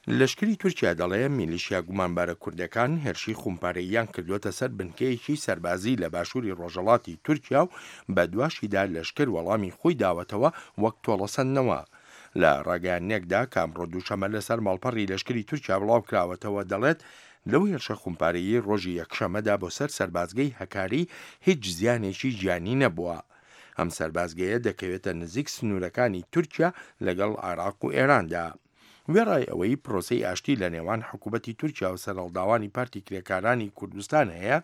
لەشکری تورکیا دەڵێ میلیشیا گومانبارە کوردەکان هێرشی خومپارەییان کردووەتە سەر بنکەیەکی سەربازی لە باشووری ڕۆژهەڵاتی تورکیا و بەدواشیدا لەشکر وەڵامی خۆی داوەتەوە وەک تۆڵەسەندنەوە. لە ڕاگەیاندنێکدا کە ئەمڕۆ دووشەمە لەسەر ماڵپەڕی لەشکری تورکیا بڵاوکراوەتەوە دەڵێت لەو هێرشە خومپارەیی ڕۆژی یەکشەمەدا بۆ سەر سەربازگەی هەکاری هیچ زیانێکی گیانی نەبووە. ئەم سەربازگەیە دەکەوێتە نزیک سنوورەکانی تورکیا لەگەڵ عێراق و ئێراندا. وێڕای ئەوەی پرۆسەی ئاشتی لە نێوان حکوومەتی تورکیا و سەرهەڵداوانی پارتی کرێکارانی کوردستان هەیە،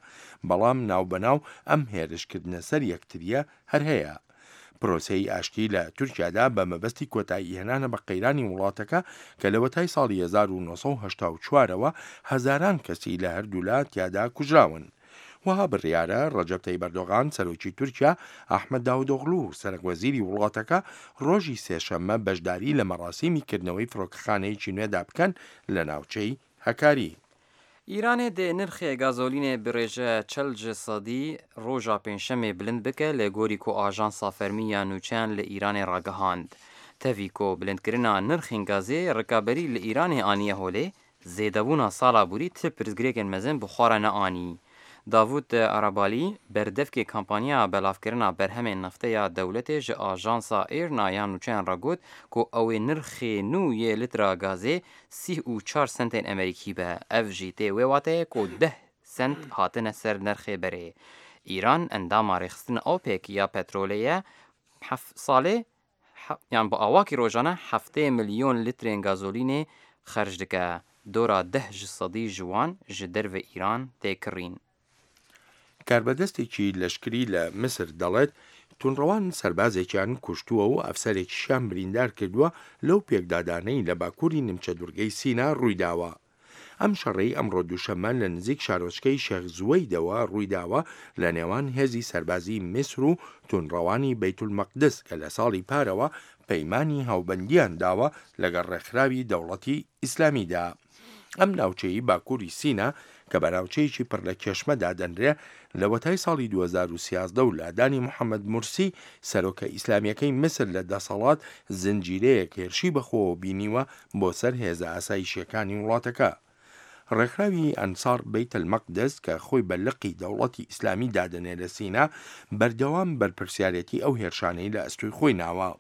بەڵام ناوبەناو ئەم هێرشکردنە سەر یەکترییە هەر هەیە. پرۆسەی ئاشتی لە تورکیادا بە مەبەستی کۆتاییهێنانە بە قەیرانی وڵاتەکە کە لەوەتای ساڵی 1984 ەوە هەزاران کەسی لە هەردوولا تیادا کوژراون. وەها بڕیارە ڕەجەب تەیب ئەردۆغان سەرۆکی تورکیا، ئەحمەد داودئۆغلو سەرەک وەزیری وڵاتەکە ڕۆژی سێشەممە بەشداری لە مەراسیمی کردنەوەی فڕۆکەخانەیەکی نوێدا بکەن لە ناوچەی هەکاری. ئیرانێ دێ نرخێ گازۆلینێ bi rêje çel ji sedî roja pêncşemê bilind bike li gorî ku ajansa fermî ya nûçeyan li Îranê ragihand. Tevî ku bilindkirina nirxên gazê rikaberî li Îranê aniye holê, Zêdebûna sala borî ti pirsgirêkên mezin bi xwe re neanî. Davûd Arabalî, berdevkê kampanya belavkirina berhemên neftê ya dewletê ji ajansa IRNA ya nûçeyan re got ku ew ê nirxê nû yê lîtra gazê 34 sentên Amerîkî be. Ev jî tê wê wateyê ku deh sent hatine ser nirxê berê. Îran endama rêxistina OPEC ya petrolê ye heft salê yan bi awakî rojane 70 milyon lîtrên gazolînê xerc dike. Dora deh ji sedî ji wan ji derve Îran tê kirîn. کاربەدەستێکی لەشکری لە میسر دەڵێت توندڕەوان سەربازێکیان کوشتووە و ئەفسەرێکیشیان بریندار کردووە لەو پێکدادانەی لە باکووری نیمچە دوورگەی سینا ڕوویداوە. ئەم شەڕەی ئەمڕۆ دووشەممە لە نزیک شارۆچکەی شێخ زوەیدەوە ڕوویداوە لە نێوان هێزی سەربازی میسر و توندڕەوانی بەیتولمەقدس کە لە ساڵی پارەوە پەیمانی هاوبەندیان داوە لەگەڵ ڕێکخراوی دەوڵەتی ئیسلامیدا. ئەم ناوچەی باکووری سینا کە بە ناوچەیەکی پڕ لە کێشمە دادەنرێ لەوەتای ساڵی 2013 و لادانی محەممەد مورسی سەرۆکە ئیسلامیەکەی میسر لە دەسەڵات زنجیرەیەک هێرشی بەخۆوە بینیوە بۆ سەر هێزە ئاسایشیەکانی وڵاتەکە. ڕێکخراوی ئەنسار بەیت المەقدس کە خۆی بە لقی دەوڵەتی ئیسلامی دادەنێ لە سینا بەردەوام بەرپرسیارێتی ئەو هێرشانەی لە ئەستۆی خۆی ناوە.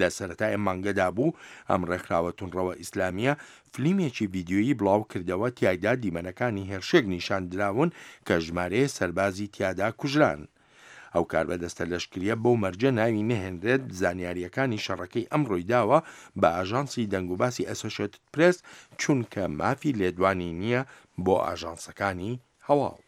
لە سەرەتای ئەم مانگەدا بوو ئەم ڕێکخراوە توندڕەوە ئیسلامییە فلیمێکی ڤیدیۆیی بڵاو کردەوە تیایدا دیمەنەکانی هێرشێک نیشان دراون کە ژمارەیە سەربازی تیادا کوژران. ئەو کاربەدەستە لەشکرییە بەو مەرجە ناوی نەهێنرێت زانیارییەکانی شەڕەکەی ئەمڕۆی داوە بە ئاژانسی دەنگوباسی ئەسۆشێتد پرێس چونکە مافی لێدوانی نییە بۆ ئاژانسەکانی هەواڵ.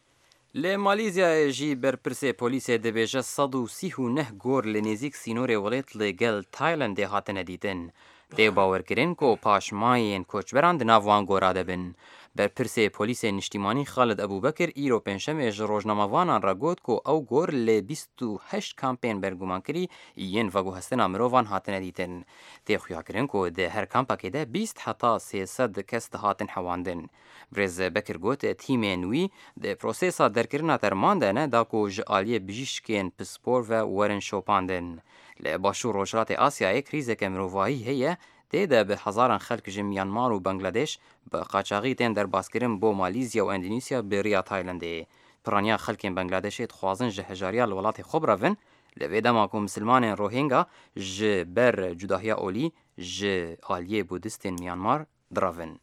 Li Malîzyayê jî berpirsê polîsê dibêje 139 gor li nêzîk sînorê welêt li gel Taylandê hatine dîtin. Tê bawerkirin ku paşmayên koçberan di nav wan gora de bin. Berpirsê polîsê niştîmanî Xalid Ebûbekir îro pêncşemê ji rojnamevanan re got ku ew gor li 28 kampên bergumankirî yên veguhestina mirovan hatine dîtin. Tê xuyakirin ku di her kampekê de 20 heta 300 kes dihatin hewandin. Birêz Bekir got tîmên wî di prosesa derkirina terman de ne da ku ji aliyê bijîşkên pispor ve werin şopandin. Li Başûr Rojhilatê Asyayê krîzeke mirovahî heye tê de bi hezaran xelk ji Myanmar û Bangladeş bi qaçaxî tên derbaskirin bo Malîzya û Endonezya bi riya Taylandê. Piraniya xelkên Bangladeşê dixwazin ji hejariya li welatê xwe birevin, li vê dema ku misilmanên Rohingya ji ber cudahiya olî ji aliyê Budistên Myanmar direvin.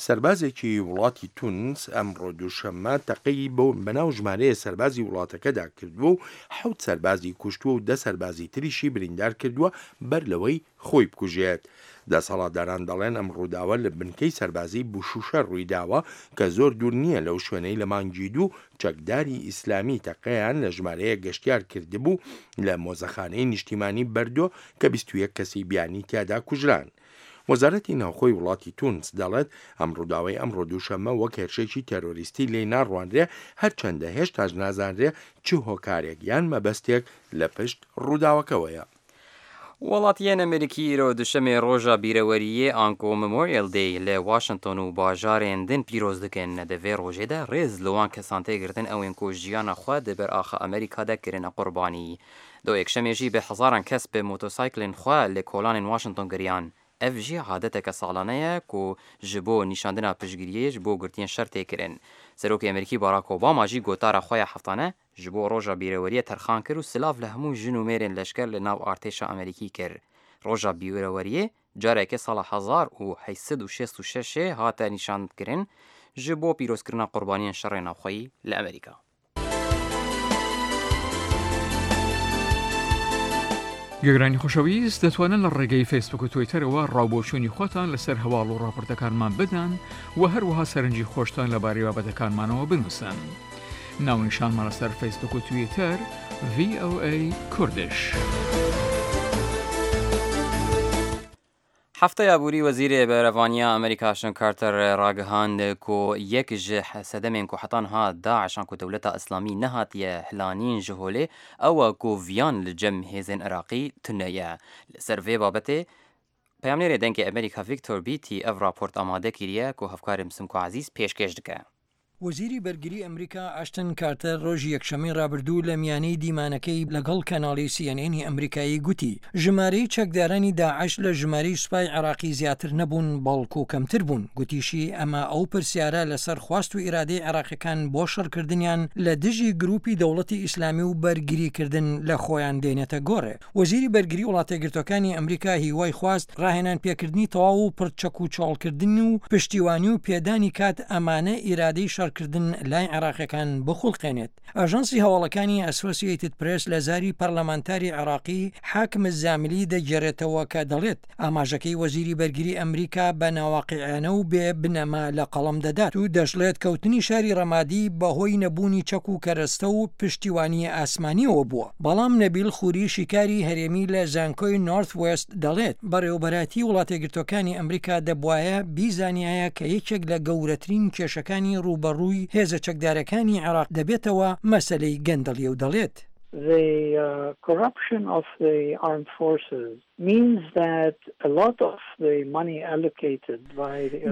سەربازێکی وڵاتی تونس ئەمڕۆ دووشەممە تەقەی بۆ بەناو ژمارەیە سەربازی وڵاتەکەدا کردووە و حەوت سەربازی کوشتووە و 10 سەربازی تریشی بریندار کردووە بەر لەوەی خۆی بکوژێت. دەسەڵاتداران دەڵێن ئەم ڕووداوە لە بنکەی سەربازی بوشوشە ڕوویداوە کە زۆر دوور نییە لەو شوێنەی لە مانگی دوو چەکداری ئیسلامی تەقەیان لە ژمارەیەک گەشتیار کردبوو لە مۆزەخانەی نیشتیمانی بەردۆ کە 21 کەسی بیانی تیادا کوژران. وەزارەتی ناوخۆی وڵاتی تونس دەڵێت ئەم ڕووداوەی ئەمڕۆ دووشەممە وەک هێرشێکی تێرۆریستی لێی ناڕوانرێ هەرچەندە هێشتاش نازانرێ چ هۆکارێک یان مەبەستێک لە پشت ڕووداوەکەوەیە. Welatiyên Amerîkî îro duşemê roja bîreweriyê anku Memorial Day li Washington û bajarên din pîroz dikin. Di vê rojê de rêz li wan kesan tê girtin ewên ku jiyana xwe di ber axa Amerîka de kirine qurbanî. Do yekşemê jî bi hezaran kes bi motosayklên xwe li kolanên Washington geriyan. Ev jî adeteke salane ye ku ji bo nîşandina piştgiriyê ji bo girtiyên şer tê kirin. Serokê Amerîkî Barack Obama jî gotara xwe ya heftane ji bo roja bîreweriyê terxan kir û silav li hemû jin û mêrên leşker li nav artêşa Amerîkî kir. Roja bîreweriyê careke sala 1866 ê hate nîşankirin ji bo pîrozkirina qurbaniyên şerê navxweyî li Amerîka. گوێگرانی خۆشەویست دەتوانن لە ڕێگەی فەیسبوک و تویتەرەوە ڕاوبۆچوونی خۆتان لەسەر هەواڵ و ڕاپۆرتەکانمان بدەن و هەروەها سەرنجی خۆشتان لەبارەی بابەتەکانمانەوە بنووسن. ناونیشانمان لەسەر فەیسبوک و تویتەر VOA Kurdish. Hefteya borî Wezîrê Berevaniya Amerîka Ashton Carter ragihand ku yek ji sedemên ku heta niha DAIŞ an ku Dewleta Îslamî nehatiye hilanîn ji holê ew e ku viyan li cem hêzên Iraqî tune ye. Li ser vê babetê peyamnêrê Dengê Amerîka Victor Beattie ev raport amade kiriye ku hevkarê Simko Ezîz pêşkêş dike. وەزیری بەرگری ئەمریکا ئاشتن کارتەر ڕۆژی یەکشەممەی ڕابردوو لە میانەی دیمانەکەی لەگەڵ کەناڵی سی ئێن ئێنی ئەمریکایی گوتی، ژمارەی چەکدارانی داعش لە ژمارەی سوپای عێراقی زیاتر نەبوون بەڵکو کەمتر بوون، گوتیشی ئەمە ئەو پرسیارە لەسەر خواست و ئیرادەی عێراقیەکان بۆ شەڕکردنیان لە دژی گروپی دەوڵەتی ئیسلامی و بەرگریکردن لە خۆیان دێنێتە گۆڕێ. وەزیری بەرگری وڵاتەیەکگرتووەکانی ئەمریکا هیوای خواست ڕاهێنان پێکردنی تەواو و پڕ چەک و چۆڵکردن و پشتیوانی و پێدانی کات ئەمانە ئیرادەی شەڕکردن لای عێراقیەکان بخوڵقێنێت. ئاژانسی هەواڵەکانی ئەسۆسیەیتد پرێس لە زاری پەرلەمانتاری عێراقی حاکم الزاملی دەگێرێتەوە کە دەڵێت ئاماژەکەی وەزیری بەرگری ئەمریکا بە ناواقیعیانە و بێ بنەما لە قەڵەم دەدات و دەشڵێت کەوتنی شاری ڕەمادی بەهۆی نەبوونی چەک و کەرەستە و پشتیوانی ئاسمانیەوە بووە. بەڵام نەبیل خوری شیکاری هەرێمی لە زانکۆی نۆرث وێست دەڵێت بەڕێوەبەرایەتی وڵاتەیەکگرتووەکانی ئەمریکا دەبوایە بیزانیایە کە یەکێک لە گەورەترین کێشەکانی ڕووبەڕووی هێزە چەکدارەکانی عێراق دەبێتەوە مەسەلەی گەندەڵیە و دەڵێت. The corruption of the armed forces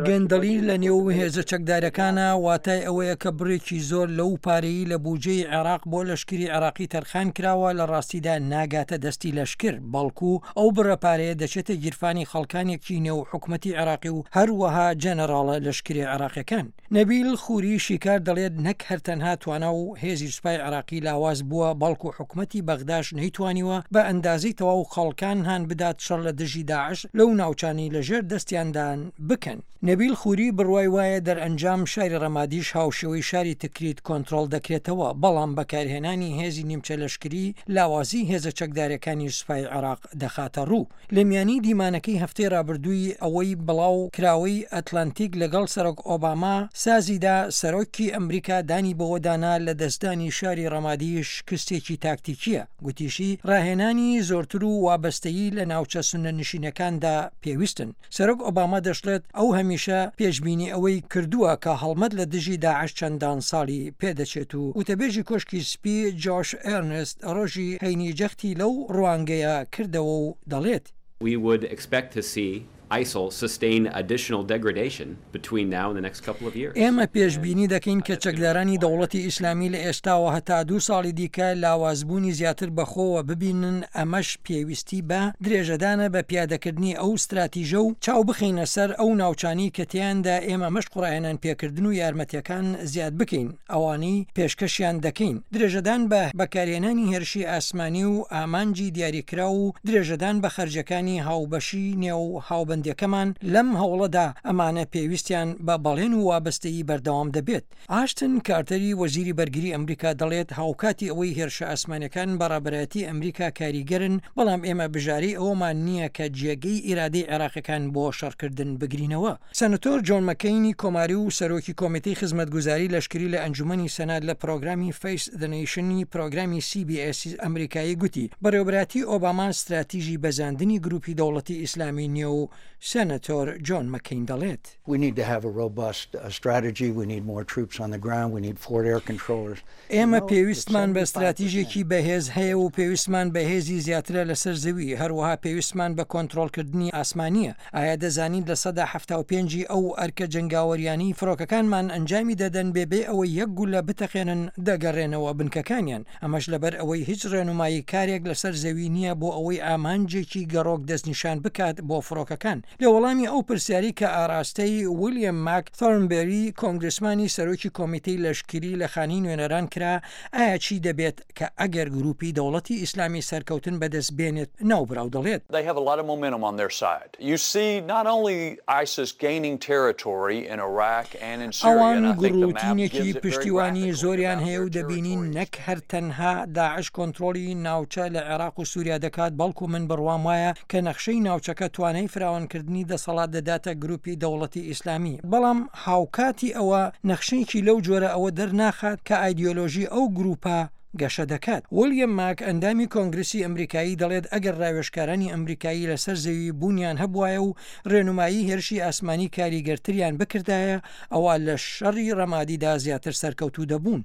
گەندەڵی لە نێو هێزە چەکدارەکانا واتای ئەوەیە کە بڕێکی زۆر لەو پارەی لە بوجەی عێراق بۆ لەشکری عێراقی تەرخان کراوە لە ڕاستیدا ناگاتە دەستی لەشکر بەڵکو ئەو بڕە پارەیە دەچێتە گیرفانی خەڵکانێکی نێو حکومەتی عێراقی و هەروەها جەنەراڵە لەشکرە عێراقیەکان. نەبیل خوری شیکار دەڵێت نەک هەر تەنها توانا و هێزی سوپای عێراقی لاواز بووە، بەڵکو حکومەتی بەغداش نەیتوانیوە بە ئەندازەی تەواو خەڵکان هان بدات شەڕ لە دژی داعش لەو ناوچانەی لە ژێر دەستیاندان بکەن. نەبیل خوری بڕوای وایە دەرئەنجام شاری ڕەمادیش هاوشێوەی شاری تکریت کۆنترۆڵ دەکرێتەوە، بەڵام بەکارهێنانی هێزی نیمچە لەشکری لاوازی هێزە چەکدارەکانی سوپای عێراق دەخاتە ڕوو. لە میانی دیمانەکەی هەفتەی رابردووی ئەوەی بڵاو کراوەی ئەتلەنتیک لەگەڵ سەرۆک ئۆباما سازی دا، سەرۆکی ئەمریکا دانی بەوەدا نا لە دەستدانی شاری رەمادی شکستێکی تاکتیکییە، گوتیشی راهێنانی زۆرتر و وابەستەیی لە ناوچە سوننە نشینەکاندا پێویستن. سەرۆک ئۆباما دەشڵێت ئەو هەمیشە پێشبینی ئەوەی کردووە کە هەڵمەت لە دژی داعش چەندان ساڵی پێدەچێت و وتەبێژی کۆشکی سپی جۆش ئێرنست ڕۆژی هەینی جەختی لەو ڕوانگەیە کردەوە و دەڵێت. We would expect to see ISIL sustain additional degradation between now and the next couple of years. ئێمە پێشبینی دەکەین کە چەکدارانی دەوڵەتی ئیسلامی لە ئێستاوە هەتا دوو ساڵی دیکە لاوازبوونی زیاتر بەخۆوە ببینن، ئەمەش پێویستی بە درێژەدانە بە پیادەکردنی ئەو ستراتیژە و چاو بخەینە سەر ئەو ناوچانەی کە تێیاندا ئێمە مەشق و ڕاهێنان پێکردن و یارمەتیەکان زیاد بکەین ئەوانەی پێشکەشیان دەکەین، درێژەدان بە بەکارهێنانی هێرشی ئاسمانی و ئامانجی دیاریکراو و درێژەدان بە خەرجیەکانی هاوبەشی نێو هاوبەندیەکەمان لەم هەوڵەدا، ئەمانە پێویستیان بە بەڵێن و وابەستەیی بەردەوام دەبێت. ئاشتن کارتەری وەزیری بەرگری ئەمریکا دەڵێت هاوکاتی ئەوەی هێرشە ئاسمانیەکان بە ڕابەرایەتی ئەمریکا کاریگەرن، بەڵام ئێمە بژارەی ئەوەمان نییە کە جێگەی ئیرادەی عێراقیەکان بۆ شەڕکردن بگرینەوە. سەنەتۆر جۆن مەکەینی کۆماری و سەرۆکی کۆمیتەی خزمەتگوزاری لەشکری لە ئەنجومەنی سەنات لە پرۆگرامی فەیس زە نەیشن ی پرۆگرامی سی بی ئێس ئەمریکایی گوتی بەڕێوەبەرایەتی ئۆباما ستراتیژی بەزاندنی گروپی دەوڵەتی ئیسلامی نییە و سەنەتۆر جۆن مەکەین دەڵێت. We need to have a robust strategy, we need more troops on the ground, we need forward air controllers. ئێمە پێویستمان بە ستراتیژێکی بەهێز هەیە و پێویستمان بە هێزی زیاترە لەسەر زەوی، هەروەها پێویستمان بە کۆنترۆڵکردنی ئاسمانییە. ئایا دەزانیت 75% ی ئەو ئەرکە جەنگاوەریانەی فڕۆکەکانمان ئەنجامی دەدەن بێ بێ ئەوەی یەک گوللە بتەقێنن دەگەڕێنەوە بنکەکانیان، ئەمەش لەبەر ئەوەی هیچ ڕێنومایی کارێک لەسەر زەوی نییە بۆ ئەوەی ئامانجێکی گەڕۆک دەستنیشان بکات بۆ فڕۆکەکان. ئیسلامییەکان. لە وەڵامی ئەو پرسیارەی کە ئاراستەی ویلیەم ماک ثۆرنبێری کۆنگرسمانی سەرۆکی کۆمیتەی لەشکری لە خانەی نوێنەران کرا ئایا چی دەبێت کە ئەگەر گروپی دەوڵەتی ئیسلامی سەرکەوتن بەدەست بێنێت ناوبراو دەڵێت. They have a lot of momentum on their side. You see not only ISIS gaining territory in Iraq and in Syria ئەوان and I think the map گوڕوتینێکی gives it very پشتیوانی graphically زۆریان about هەیە their و دەبینین territories. نەک هەر تەنها داعش کۆنترۆڵی ناوچە لە عێراق و سوریا دەکات بەڵکو من بڕوام وایە کە نەخشەی ناوچەکە توانای فراوانکردنی دەسەڵات دەداتە گروپی دەوڵەتی ئیسلامی بەڵام هاوکاتی ئەوە نەخشەیەکی لەو جۆرە ئەوە دەرناخات کە ئایدیۆلۆژی ئەو گروپە گەشە دەکات. وڵیەم ماک ئەندامی کۆنگرسی ئەمریکایی دەڵێت ئەگەر راوێژکارانی ئەمریکایی لەسەر زەوی بوونیان هەبوایە و رێنومایی هێرشی ئاسمانی کاریگەرتریان بکردایە ئەوا لە شەڕی رەمادیدا زیاتر سەرکەوتوو دەبوون.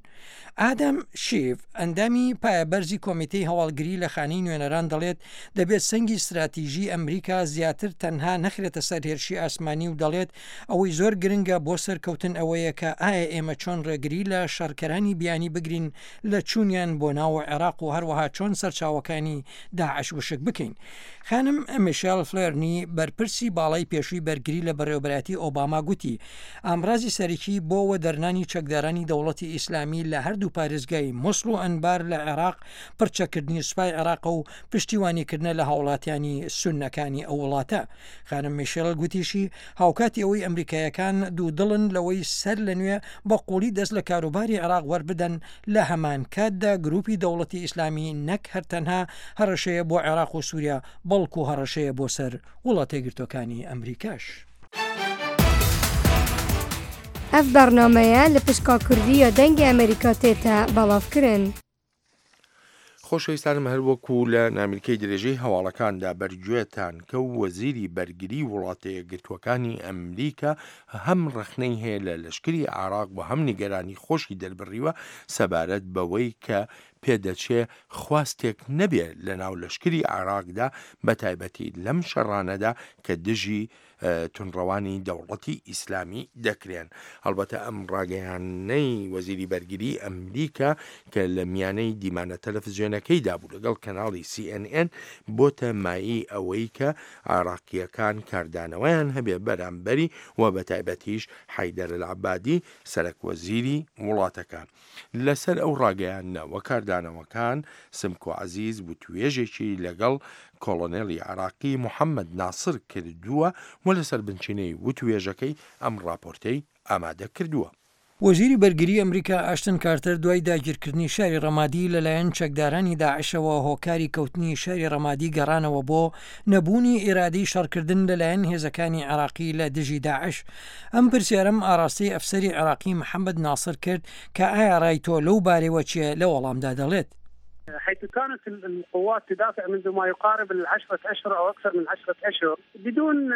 ئادەم شیف، ئەندامی پایەبەرزی کۆمیتەی هەواڵگری لە خانەی نوێنەران دەڵێت، دەبێت سەنگی ستراتیژی ئەمریکا زیاتر تەنها نەخرێتە سەر هێرشی ئاسمانی و دەڵێت، ئەوەی زۆر گرنگە بۆ سەرکەوتن ئەوەیە کە ئایا ئێمە چۆن ڕێگری لە شەڕکەرانی بیانی بگرین لە چوونیان بۆ ناو عێراق و هەروەها چۆن سەرچاوەکانی داعش وشک بکەین. خانم میشێل فلێرنی، بەرپرسی باڵای پێشووی بەرگری لە بەڕێوەبەرایەتی ئۆباما گوتی، ئامرازی سەرەکی بۆ وەدەرنانی چەکدارانی دەوڵەتی ئیسلامی لە هەردوو پارێزگای موسڵ و ئەنبار لە عێراق پڕچەککردنی سوپای عێراقە و پشتیوانیکردنە لە هاوڵاتیانی سوننەکانی ئەو وڵاتە. خانم میشێل گوتیشی، هاوکاتی ئەوەی ئەمریکاییەکان دوودڵن لەوەی سەر لە نوێ بە قووڵی دەست لە کاروباری عێراق وەربدەن، لە هەمانکاتدا گرووپی دەوڵەتی ئیسلامی نەک هەر تەنها هەڕەشەیە بۆ عێراق و سووریا، بەڵکو هەڕەشەیە بۆ سەر وڵاتەیەکگرتووەکانی ئەمریکاش. Ev bernameye li pişka Kurdî ya Dengê Amerîka tête belavkirin. خۆشەویستانم هەر وەکو لە نامیلکەی درێژەی هەواڵەکاندا بەرگوێتان کەو وەزیری بەرگری وڵاتە یەکگرتووەکانی ئەمریکا هەم ڕەخنەی هەیە لە لەشکری عێراق و هەم نیگەرانی خۆشی دەربڕیوە سەبارەت بەوەی کە پێدەچێ خواستێک نەبێ لەناو لەشکری عێراقدا بەتایبەتی لەم شەڕانەدا کە دژی توندڕەوانی دەوڵەتی ئیسلامی دەکرێن. هەڵبەتە ئەم ڕاگەیاندنەی وەزیری بەرگری ئەمریکا کە لە میانەی دیمانە تەلەفزیۆنەکەیدا بوو لەگەڵ کەناڵی سی ئێن ئێن بۆتە مایەی ئەوەی کە عێراقییەکان کاردانەوەیان هەبێ بەرامبەری و بەتایبەتیش حەیدەر ئەلعەبادی سەرەک وەزیری وڵاتەکە. لەسەر ئەو ڕاگەیاندنە و کاردانەوەکان، سمکۆ عەزیز وتوێژێکی لەگەڵ کۆڵۆنێڵی عێراقی محەمەد ناسر کردووە و لەسەر بنچینەی وتوێژەکەی ئەم ڕاپۆرتەی ئامادە کردووە. وەزیری بەرگری ئەمریکا ئاشتن کارتەر دوای داگیرکردنی شاری ڕەمادی لەلایەن چەکدارانی داعشەوە هۆکاری کەوتنی شاری ڕەمادی گەڕانەوە بۆ نەبوونی ئیرادەی شەڕکردن لەلایەن هێزەکانی عێراقی لە دژی داعش ئەم پرسیارەم ئاراستەی ئەفسەری عێراقی محەمەد ناسر کرد کە ئایا ڕای تۆ لەو بارەیەوە چیە لە وەڵامدا دەڵێت. حيث كانت القوات تدافع منذ ما يقارب العشرة أشهر أو أكثر من عشرة أشهر بدون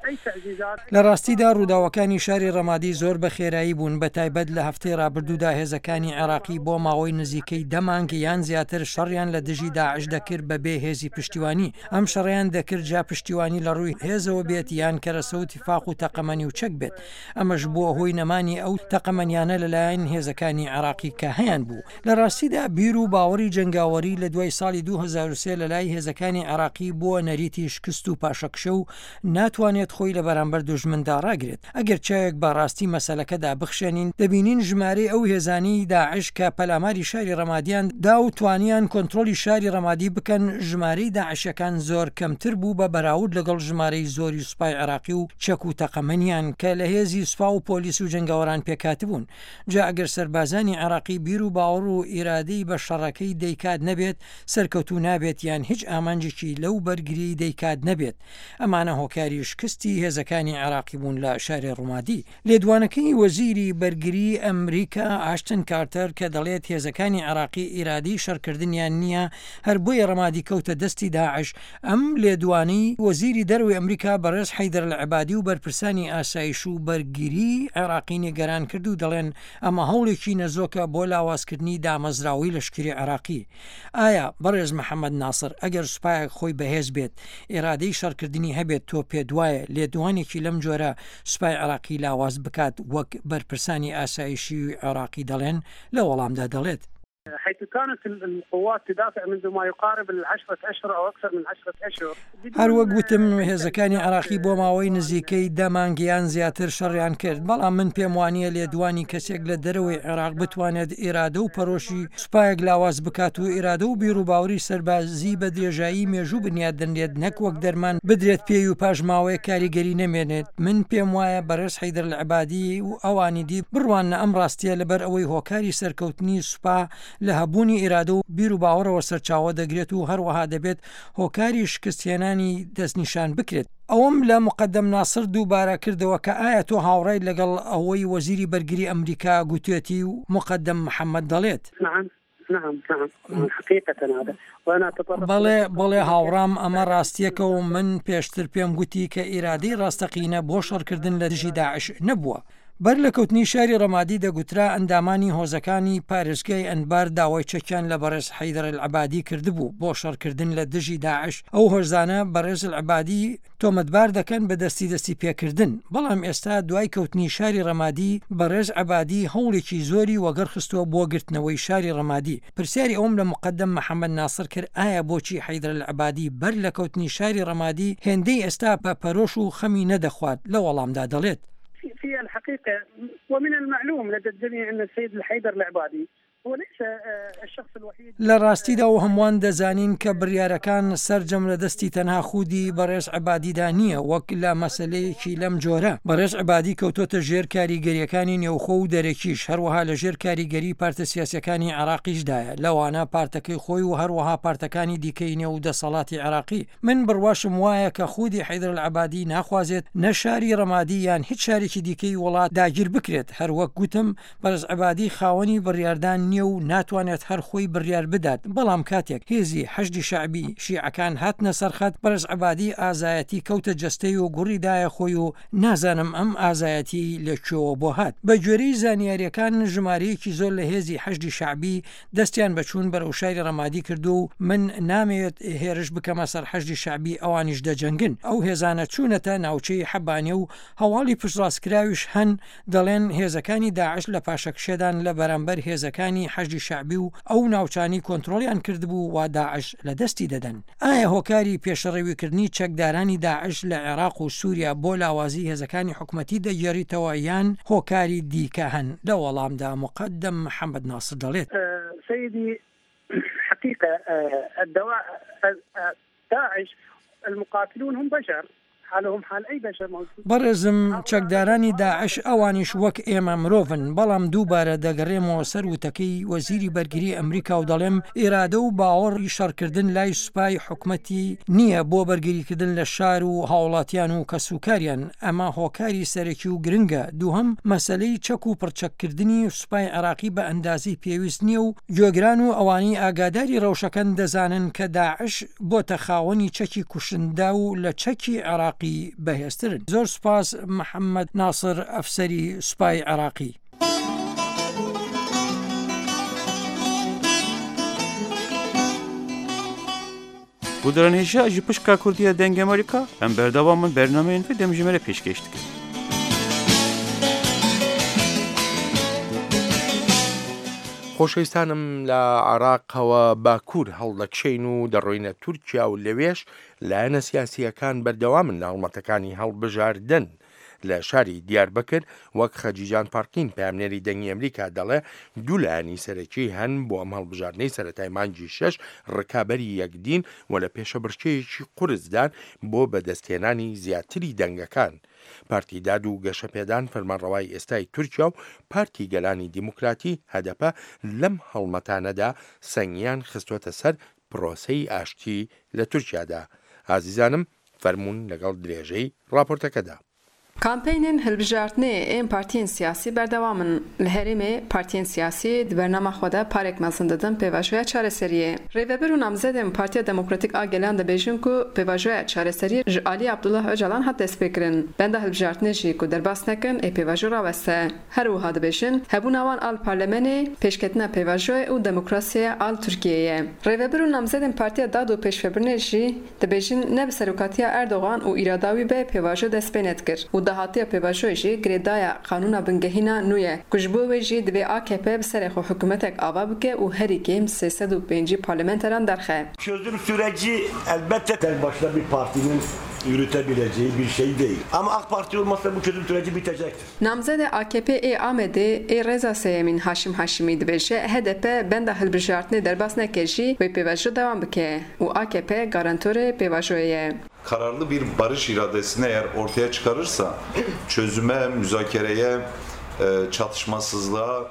أي تعزيزات. لە ڕاستیدا ڕووداوەکانی شاری ڕەمادی زۆر بە خێرایی بوون، بە تایبەت لە هەفتەی ڕابردوودا هێزەکانی عێراقی بۆ ماوەی نزیکەی دە مانگ یان زیاتر شەڕیان لە دژی داعش دەکرد بە بێ هێزی پشتیوانی، ئەم شەڕەیان دەکرد جا پشتیوانی لە ڕووی هێزەوە بێت یان کەرەسە و تفاق و تەقەمەنی و چەک بێت، ئەمەش بووە هۆی نەمانی ئەو تەقەمەنیانە لەلایەن هێزەکانی عێراقی کە هەیان بوو. لە ڕاستیدا بیر و باوەڕی جەنگاوەری لە دوای ساڵی 2003 لە لای هێزەکانی عێراقی بووە نەریتی شکست و پاشەکشە و ناتوانێت خۆی لە بەرامبەر دوژمندا ڕاگرێت. ئەگەر چاوێک بە ڕاستی مەسەلەکەدا بخشێنین دەبینین ژمارەی ئەو هێزانەی داعش کە پەلاماری شاری ڕەمادیان دا و توانیان کۆنترۆڵی شاری ڕەمادی بکەن ژمارەی داعشەکان زۆر کەمتر بوو بە بەراورد لەگەڵ ژمارەی زۆری سوپای عێراقی و چەک و تەقەمەنیان کە لە هێزی سوپا و پۆلیس و جەنگاوەران پێکهاتبوون. جا ئەگەر سەربازانی عێراقی بیر و باوەڕ و ئیرادەی بە شەڕەکەی دەیکات نەبێت سەرکەوتوو نابێت یان هیچ ئامانجێکی لەو بەرگریەی دەیکات نەبێت ئەمانە هۆکاری شکستی هێزەکانی عێراقی بوون لە شاری ڕومادی. لێدوانەکەی وەزیری بەرگری ئەمریکا ئاشتن کارتەر کە دەڵێت هێزەکانی عێراقی ئیرادەی شەڕکردنیان نییە هەر بۆیە ڕەمادی کەوتە دەستی داعش ئەم لێدوانەی وەزیری دەرەوەی ئەمریکا بەڕێز حەیدەر العبادی و بەرپرسانی ئاسایش و بەرگری عێراقی نیگەران کرد و دەڵێن ئەمە هەوڵێکی نەزۆکە بۆ لاوازکردنی دامەزراوەی لەشکری عێراقی. ئایا بەڕێز محەمەد ناسر ئەگەر سوپایەک خۆی بەهێز بێت ئیرادەی شەڕکردنی هەبێت تۆ پێتوایە لێدوانێکی لەم جۆرە سوپای عێراقی لاواز بکات وەک بەرپرسانی ئاسایشی عێراقی دەڵێن؟ لە وەڵامدا دەڵێت. حيث كانت القوات تدافع منذ ما يقارب العشرة أشهر أو أكثر من عشرة أشهر. هەر وەک وتم هێزەکانی عێراقی بۆ ماوەی نزیکەی دە مانگ یان زیاتر شەڕیان کرد، بەڵام من پێم وانییە لێدوانی کەسێک لە دەرەوەی عێراق بتوانێت ئیرادە و پەرۆشی سوپایەک لاواز بکات و ئیرادە و بیروباوەری سەربازی بە درێژایی مێژوو بنیات دەنرێت نەک وەک دەرمان بدرێت پێی و پاش ماوەیەک کاریگەری نەمێنێت، من پێم وایە بەڕێز حەیدەر العەبادی و ئەوانی دی بڕواننە ئەم ڕاستییە لەبەر ئەوەی هۆکاری سەرکەوتنی سوپا لە هەبوونی ئیرادە و بیروباوەڕەوە سەرچاوە دەگرێت و هەروەها دەبێت هۆکاری شکستهێنانی دەستنیشان بکرێت. ئەوەم لە موقەدەم ناسر دووبارە کردەوە کە ئایا تۆ هاوڕایت لەگەڵ ئەوەی وەزیری بەرگری ئەمریکا گوتوێتی و موقەدەم محەمەد دەڵێت. نعم نعم نعم حقیقە هذا وانا اتطرق بەڵێ بەڵێ هاوڕام ئەمە ڕاستیەکە و من پێشتر پێم گوتی کە ئیرادەی ڕاستەقینە بۆ شەڕکردن لە دژی داعش نەبووە. بەر لە کەوتنی شاری ڕەمادی دەگوترا ئەندامانی هۆزەکانی پارێزگای ئەنبار داوای چەکیان لە بەڕێز حەیدەر العەبادی کردبوو بۆ شەڕکردن لە دژی داعش، ئەو هۆزانە بەڕێز العەبادی تۆمەتبار دەکەن بە دەستی دەستی پێکردن، بەڵام ئێستا دوای کەوتنی شاری ڕەمادی بەڕێز عەبادی هەوڵێکی زۆری وەگەڕ خستووە بۆ گرتنەوەی شاری ڕەمادی، پرسیاری ئەوەم لە موقەدەم محەمەد ناسر کرد ئایا بۆچی حەیدەر العەبادی بەر لە کەوتنی شاری ڕەمادی هێندەی ئێستا بە پەرۆش و خەمی نەدەخوارد، لە وەڵامدا دەڵێت. في الحقيقة ومن المعلوم لدى الجميع أن السيد الحيدر العبادي هو ليس الشخص الوحيد لە ڕاستیدا و هەمووان دەزانین کە بڕیارەکان سەرجەم لە دەستی تەنها خودی بەڕێز عەبادیدا نییە وەک لە مەسەلەیەکی لەم جۆرە بەڕێز عەبادی کەوتۆتە ژێر کاریگەریەکانی نێوخۆ و دەرەکیش هەروەها لە ژێر کاریگەری پارتە سیاسیەکانی عێراقیشدایە لەوانە پارتەکەی خۆی و هەروەها پارتەکانی دیکەی نێو دەسەڵاتی عێراقی من بڕواشم وایە کە خودی حەیدەر العەبادی ناخوازێت نە شاری ڕەمادی یان هیچ شارێکی دیکەی وڵات داگیر بکرێت، هەر وەک گوتم بەڕێز عەبادی خاوەنی بڕیاردان نییە و ناتوانێت هەر خۆی بڕیار بدات، بەڵام کاتێک هێزی حەشدی شەعبی شیعەکان هاتنە سەر خەت بەڕێز عەبادی ئازایەتی کەوتە جەستەی و گوڕی دایە خۆی و نازانم ئەم ئازایەتیەی لە کوێوە بۆ هات. بە گوێرەی زانیاریەکان ژمارەیەکی زۆر لە هێزی حەشدی شەعبی دەستیان بە چوون بەرەو شاری ڕەمادی کردووە و من نامەوێت هێرش بکەمە سەر حەشدی شەعبی ئەوانیش دەجەنگن. ئەو هێزانە چوونەتە ناوچەی حەبانێ و هەواڵی پشتڕاستکراویش هەن دەڵێن هێزەکانی داعش لە پاشەکشێدان لە بەرامبەر هێزەکانی حەشدی شەعبی و ئەو ناوچانەی کۆنترۆڵیان کردبوو وا داعش لە دەستی دەدەن. ئایا هۆکاری پێشڕەویکردنی چەکدارانی داعش لە عێراق و سووریا بۆ لاوازی هێزەکانی حکومەتی دەگێڕیتەوە یان هۆکاری دیکە هەن؟ لە وەڵامدا موقەدەم محەمەد ناسر دەڵێت. سەیدی حقیقە الدواع داعش المقاتلون هم بشر حالهم حال ای بشر موجود. بەڕێزم چەکدارانی داعش ئەوانیش وەک ئێمە مرۆڤن، بەڵام دووبارە دەگەڕێمەوە سەر وتەکەی وەزیری بەرگری ئەمریکا و دەڵێم ئیرادە و باوەڕی شەڕکردن لای سوپای حکومەتی نییە بۆ بەرگریکردن لە شار و هاوڵاتیان و کەسوکاریان، ئەمە هۆکاری سەرەکی و گرنگە، دووهەم مەسەلەی چەک و پڕچەککردنی سوپای عێراقی بە ئەندازەی پێویست نییە و گوێگران و ئەوانەی ئاگاداری ڕەوشەکەن دەزانن کە داعش بۆتە خاوەنی چەکی کوشندە و لە چەکی عێراقی بەهێزترن. زۆر سوپاس محەمەد ناسر ئەفسەری سوپای عێراقی. Guhdaran hêja ji pişka Kurdî ya Dengê Amerîka em berdewam in bernameyên vê demjimêrê pêşkêş dikin. خۆشەویستانم لە عێراقەوە باکوور هەڵدەکشێین و دەڕۆینە تورکیا و لەوێش لایەنە سیاسییەکان بەردەوامن لە هەڵمەتەکانی هەڵبژاردن. لە شاری دیاربەکر وەک خەجیجان پارکین پەیامنێری دەنگی ئەمریکا دەڵێ دوو لایەنی سەرەکی هەن بۆ ئەم هەڵبژاردنەی سەرەتای مانگی شەش ڕکابەری یەکدین و لە پێشەبڕکێیەکی قورسدان بۆ بەدەستهێنانی زیاتری دەنگەکان. پارتی داد و گەشەپێدان فەرمانڕەوای ئێستای تورکیا و پارتی گەلانی دیموکراتی، هەدەپە، لەم هەڵمەتانەدا سەنگیان خستووەتە سەر پرۆسەی ئاشتی لە تورکیادا. ئازیزانم فەرموون لەگەڵ درێژەی ڕاپۆرتەکەدا. Kampêynên hilbijartinê ên partiyên siyasî berdewam in. Li herêmê partiyên siyasî di bernama xwe de parek mezin didin pêvajoya çareseriyê. Rêvebir û namzedên Partiya Demokratîk a Gelan dibêjin ku pêvajoya çareseriyê ji aliyê Abdullah Ocalan hat destpêkirin. Benda hilbijartinê jî ku derbas nekin ê pêvajo raweste. Her wiha dibêjin hebûna wan a li parlamenê, pêşketina pêvajoyê û demokrasiyê a li Tirkiyeyê ye. Rêvebir û namzedên Partiya Dad û Pêşvebirinê jî dibêjin ne bi serokatiya Erdogan û îrada wî be pêvajo dest pê nedikir û. Dahatiya pêvajoyê jî girêdaya Qanûna Bingehîn a nû ye ku ji bo wê jî divê akp bi serê xwe hikûmetek ava bike û herî kêm 350 parlamenteran derxe. Çözüm süreci elbette tek başına bir partinin yürütebileceği bir şey değil. Ama AK Parti olmazsa bu çözüm süreci bitecektir. Namzedê AKP'ê ê Amedê ê rêza sêyemîn Haşim Haşimî dibêje, hdp benda hilbijartinê derbas neke jî wê pêvajo dewam bike û akp garantorê pêvajoyê ye. Kararlı bir barış iradesini eğer ortaya çıkarırsa çözüme, müzakereye, çatışmasızlığa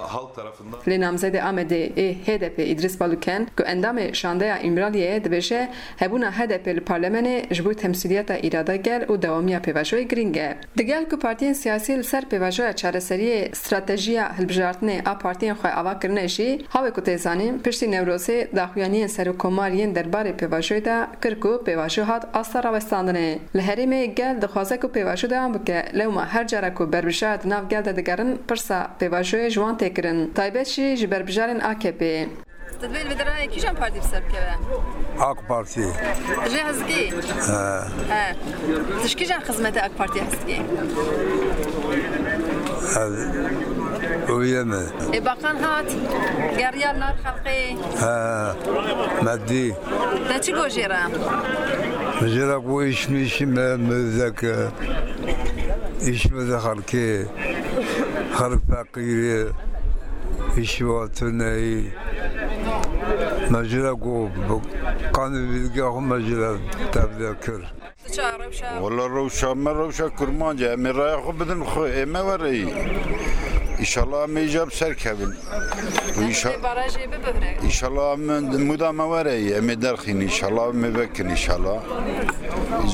halk tarafından. Lê namzedê Amedê ê HDP'ê Îdrîs Baluken ku endamê şandeya Îmraliyê ye dibêje, hebûna HDP'ê li parlamenê ji bo temsîliyeta îrada gel û dewamiya pêvajoyê girîng e. Digel ku partiyên siyasî li ser pêvajoya çareseriyê stratejiya hilbijartinê a partiyên xwe ava kirine jî, hawê ku tê zanîn piştî Newrozê daxuyaniyên Serokkomar yên derbarê pêvajoyê de kir ku pêvajo hat asta rawestandinê. Li herêmê gel dixwaze ku pêvajo dewam bike, lewma her cara ku berbijar di nav gel de digerin pirsa pêvajoyê ji wan tê kirin. Taybet jî ji berbijarên AKP'ê. Tu dibê li vê derayê kîjan partî bi ser bikeve? AK Partî. Tu jê hez dikî? He. He. Tu ji kîjan xizmetê AK Partiyê hez dikî? Ez wî me. Ê Bakan hat, geriya li nav xelqê. He. Me dî. Te çi got jê re? Min jê re got îş mişî me mizdeke. Îş bide xelkê. Xelk feqîr e. Îşî wan tune yî. Me ji re got bi qanê bîlgiya xwe me ji re tevde kir. Wela rewşa me rewşa kurmanc e. Em ê raya xwe bidin xwe. Ê me were yî. Îşallah em ê îcar bi ser kevin. Îşallah em muda me were yî. Em ê derxîn îşallah em ê vekin îşallah.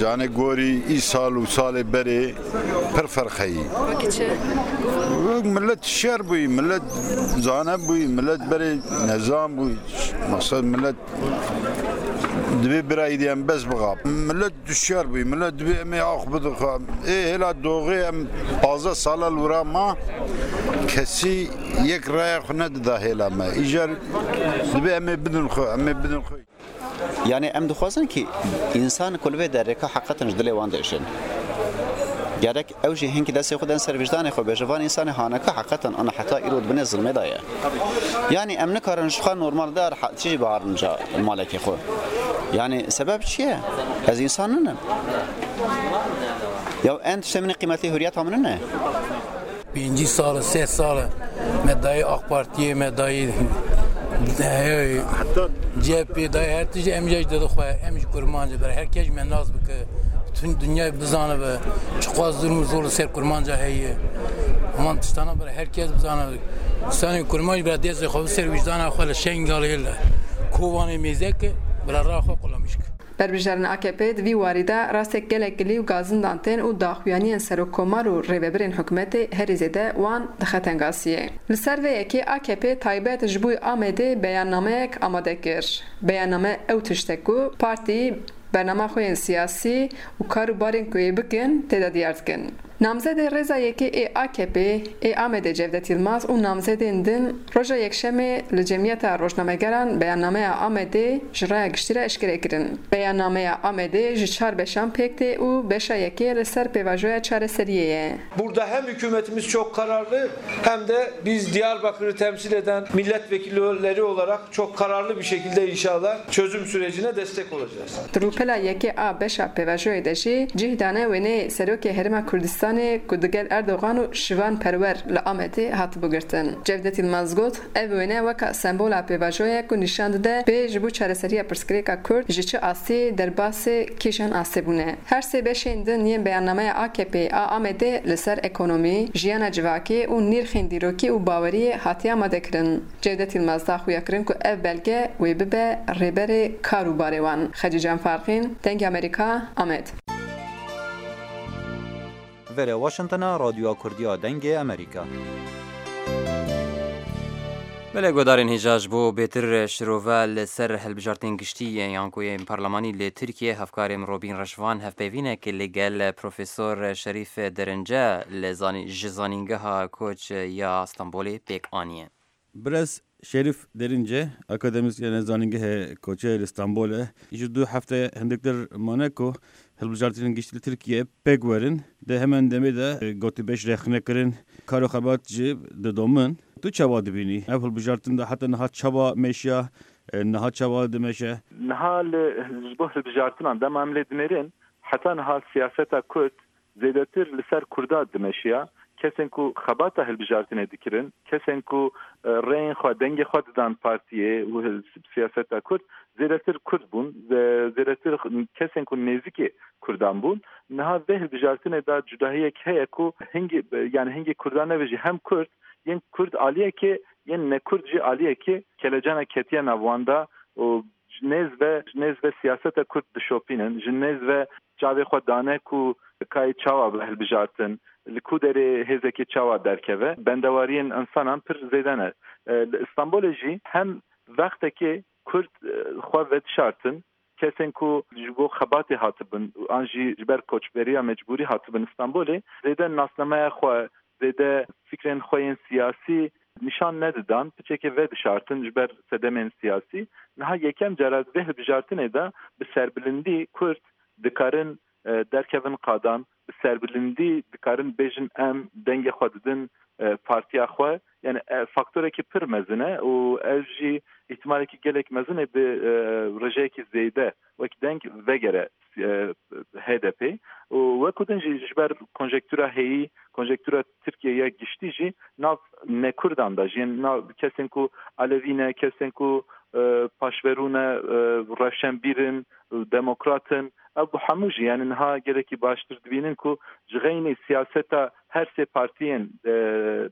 Canê gorî îsal û salê berê pir ferq heyî. Wekî çi? Wek millet şer bûyî, millet zane bûyî, millet berê nezan bûyî. Maqsed millet dibê bira îdî em bes bixa. Millet duşyar bûyî, millet dibê em ê ax bidin xwe. Ê hêla doxê em 15 sala li wira ma kesî yek raya xwe nedida hêla me. Îcar dibê em ê bidin xwe, em ê bidin xwe. Yanî em dixwazin kî însan ku li vê derê ka heqetin ji dilê wan diêşin. Gerek ew jî hinkî destê xwe den ser vicdanê xwe bêje van însanê hane ka heqetin ana heta îro di binê zilmê de ye. Yanî em nikarin ji xwe normal de rehetî jî biarin ca malekê xwe. Yanî sebeb çi ye? Ez însan ninim. Ya en tiştê min ê qîmetî huriyeta min nine. 50 sal e, sê sal e me dayî AK Partiyê, me dayî CHP'ê dayî her tiştî em jî dide xwe, em jî kurmanc e. Her kes me nas bike, bütün dünyayê bizanibe çiqas zulm û zor li ser kurmanca heye. Wan tiştana bira her kes bizanibe. Sanê kurmanc bira destê xwe bi ser wîjdana xwe li Şengalê li Kobanê mêze ke bila ra xwe qulamiş ke. Berbijarên AKP'ê di vî warî de rastê gelek gilî û gazindan tên û daxuyaniyên serokkomar û rêvebirên hikûmetê herî zêde wan dixe tengasiyê. Li ser vê yekê AKP'ê taybet ji bo Amedê beyannameyek amade kir. Beyanname ew tişt e ku partî bernama xwe yên siyasî û kar û barên ku yê bikin tê de diyar dikin. Namzedê rêza yekê ê AKP'ê ê Amedê Cevdet Yilmaz û namzedên din roja Yekşemê li Cemiyeta Rojnamegeran beyannameya Amedê ji raya giştî re eşkere kirin. Beyannameya Amedê ji çar beşan pêk tê û beşa yekê li ser pêvajoya çareseriyê ye. Burada hem hükümetimiz çok kararlı hem de biz Diyarbakır'ı temsil eden milletvekilleri olarak çok kararlı bir şekilde inşallah çözüm sürecine destek olacağız. Di rûpela yekê a beşa pêvajoyê de jî cih dane wêneyê Serokê Herêma Kurdistanê ku digel Erdogan û Şivan Perwer li Amedê hatibû girtin. Cevdet Yilmaz got, Ev wêne weka sembola pêvajoyê ye ku nîşan dide bê ji bo çareseriya pirsgirêka Kurd ji çi astiyê derbasê kîjan astê bûne. Her sê beşên din yên beyannameya AKP'ê a Amedê li ser ekonomî, jiyana civakê û nîrxên dîrokî û baweriyê hatiye amadekirin. Cevdet Yilmaz da xuyakirin ku ev belge wê bibe rêberê kar û barê wan. Xecîcan Farqîn, Dengê Amerîka, Amed. Vere Washingtona Radyoya Kurdî ya Dengê Amerîka. Belê guhdarên hêja ji bo bêtir şirove li ser hilbijartinên giştî yan ku yên parlemanî li Tirkiyê hevkarê Robîn Reşvan hevpeyvînek li gel Profesor Şerîf Derince li ji Zanîngeha Koç ya Stenbolê pêk aniye. Birêz Şerîf Derince, akademîsyenê Zanîngehê Koçê li Stenbolê, ji du hefte hindiktir mane ku Hilbijartinên giştî li Tirkiyeyê pêk werin. Di heman demê de gotûbêj rêxnekirin, kar û xebat jî didomin. Tu çawa dibînî ev hilbijartin de heta niha çawa meşiya, niha çawa dimeşe? Niha li ji bo hilbijartinan dema em lê dinêrin heta niha siyaseta Kurd zêdetir li ser Kurda dimeşiya. Kesên ku xebata hilbijartinê dikirin, kesên ku rêyên xwe, dengê xwe didan partiyê û siyaseta Kurd zêdetir Kurd bûn, zêdetir kesên ku nêzîkê Kurdan bûn. Niha vê hilbijartinê de cudahiyek heye ku hingî yanî hingî Kurdan nebe jî hem Kurd yên Kurd aliyekê yên nekurd jî aliyekê kelecana ketiye nav wan de û ji nêz ve ji nêz ve siyaseta Kurd dişopînin, ji nêz ve çavê xwe dane ku kayê çawa be hilbijartin, li ku derê hêzekê çawa derkeve. Bendewariyên însanan pir zêde ne. Li Îstanbulê jî hem vextekê Kurd xwe vedişartin, kesên ku ji bo xebatê hatibin an jî ji ber koçberiya mecbûrî hatibin Îstanbulê, zêde nasnameya xwe, zêde fikrên xwe yên siyasî nîşan nedidan, piçekê vedişartin ji ber sedemên siyasî. Niha yekem cara di vê hilbijartinê de bi serbilindî Kurd dikarin derkevin qadan, bi serbilindî dikarin bêjin em dengê xwe didin partiya xwe. Yanî faktorekî pir mezin e û ev jî îhtimalekî gelek mezin e bi rêjeyekî zêde wek deng vegere HDP'ê û wekû din jî ji ber konjektura heyî, konjektura Tirkiyeyê ya giştî jî nav nekurdan de jî yên nav kesên ku elewî ne, kesên ku paşverû ne, rewşenbîr in, demokrat in ew bi hemû jî yanî niha gelekî baştir dibînin ku ji xeynî siyaseta her sê partiyên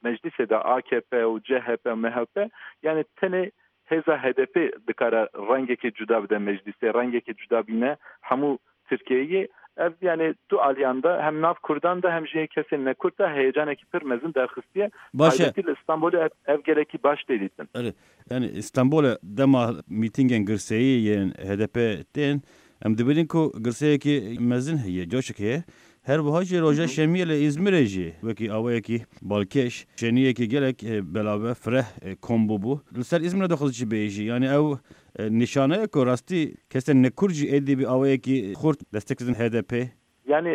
meclîsê de akp û CHP û MHP yanî tenê Hêza HDP'ê dikare rengekê cuda bide meclîsê, rengekê cuda bîne hemû Tirkiyeyê. Ev yanê du aliyan de hem nav Kurdan de hem jî kesên ne Kurd de heyecanekî pir mezin derxistiye. Baş e. Taybetî li Stenbolê ev ev gelekî baş tê dîtin. Erê yanî Stenbolê dema mîtîngên girseyî yên HDP'ê tên em dibînin ku girseyekî mezin heye, coşek heye. Her wiha jî roja şemiyê li Îzmirê jî wekî awayekî balkêş şêniyekî gelek belave fireh kom bûbû. Li ser Îzmirê dixwazî çi bêjî? Yanî ew nîşane ye ku rastî kesên ne kurd jî êdî bi awayekî xurt destek didin HDP'ê. Yanî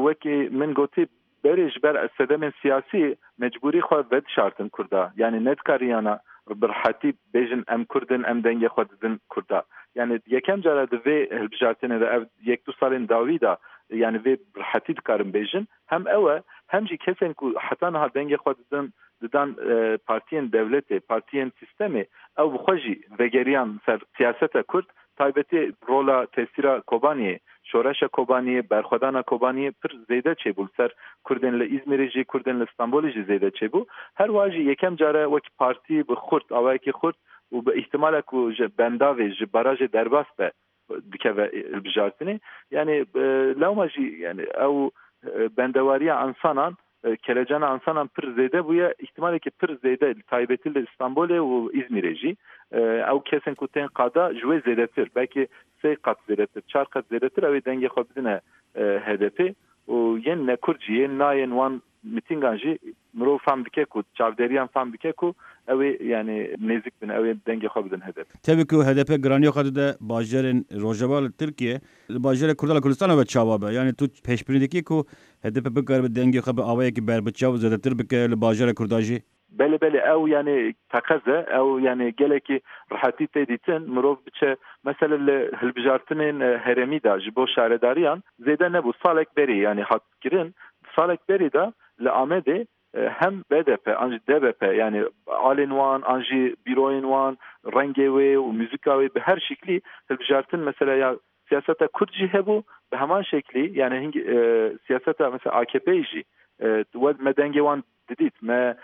wekî min gotî berê ji ber sedemên siyasî mecbûrî xwe vedişartin kurda. Yanî nedikariyana bi rehetî bêjin em kurd in em dengê xwe didin kurda. Yanî yekem cara di vê hilbijartinê de ev yek du salên dawî de yanî vê bi rehetî dikarin bêjin hem ew e hem jî kesên ku heta niha dengê xwe didin didan partiyên dewletê, partiyên sîstemê ew bi xwe jî vegeriyan ser siyaseta kurd Taybetî rola tesîra Kobaniyê, şoreşa Kobaniyê, berxwedana Kobaniyê pir zêde çêbû li ser Kurdên li Îzmîrê jî, Kurdên li Stenbolê jî zêde çêbû. Her wiha jî yekem car e wek partî bi xurt, awayekî xurt û bi îhtîmala ku ji bendavê, ji barajê derbas be dikeve hilbijartinê. Yanî lewma jî yanî ew bendewariya însanan Kelecana însanan pir zêde bûye, îhtîmalekî pir zêde taybetî li Stenbolê û Îzmîrê jî ew kesên ku tên qada ji wê zêdetir belkî sê qat zêdetir, çar qat zêdetir ew ê dengê xwe bidine HDP'ê û yên nekurd jî yên nayên wan mitîngan jî mirov fehm dike ku çavdêriyan fehm dike ku ew ê yanî nêzik bin ew ê dengê xwe bidin HDP'ê. Tevî ku hdp giraniya xwe dide bajarên Rojava li Tirkiyê, li bajarê Kurda li Kurdistanê ve çawa be? Yanî tu pêşbînî dikî ku Hdp bikaribe dengê xwe bi awayekî berbiçav zêdetir bike li bajarê Kurda jî? Belê belê ew yanî teqez e, ew yanî gelekî rehetî tê dîtin, mirov biçe mesele li hilbijartinên herêmî de ji bo şaredariyan zêde nebû salek berî yanî hat kirin, di salek berî de li Amedê hem BDP an jî DBP yanî alên wan an jî bîroyên wan rengê wê û muzîka wê bi her şiklî hilbijartin mesele ya Siyaseta Kurd jî hebû bi heman şeklî yani hingî siyaseta mesela AKP'ê jî me dengê wan didît me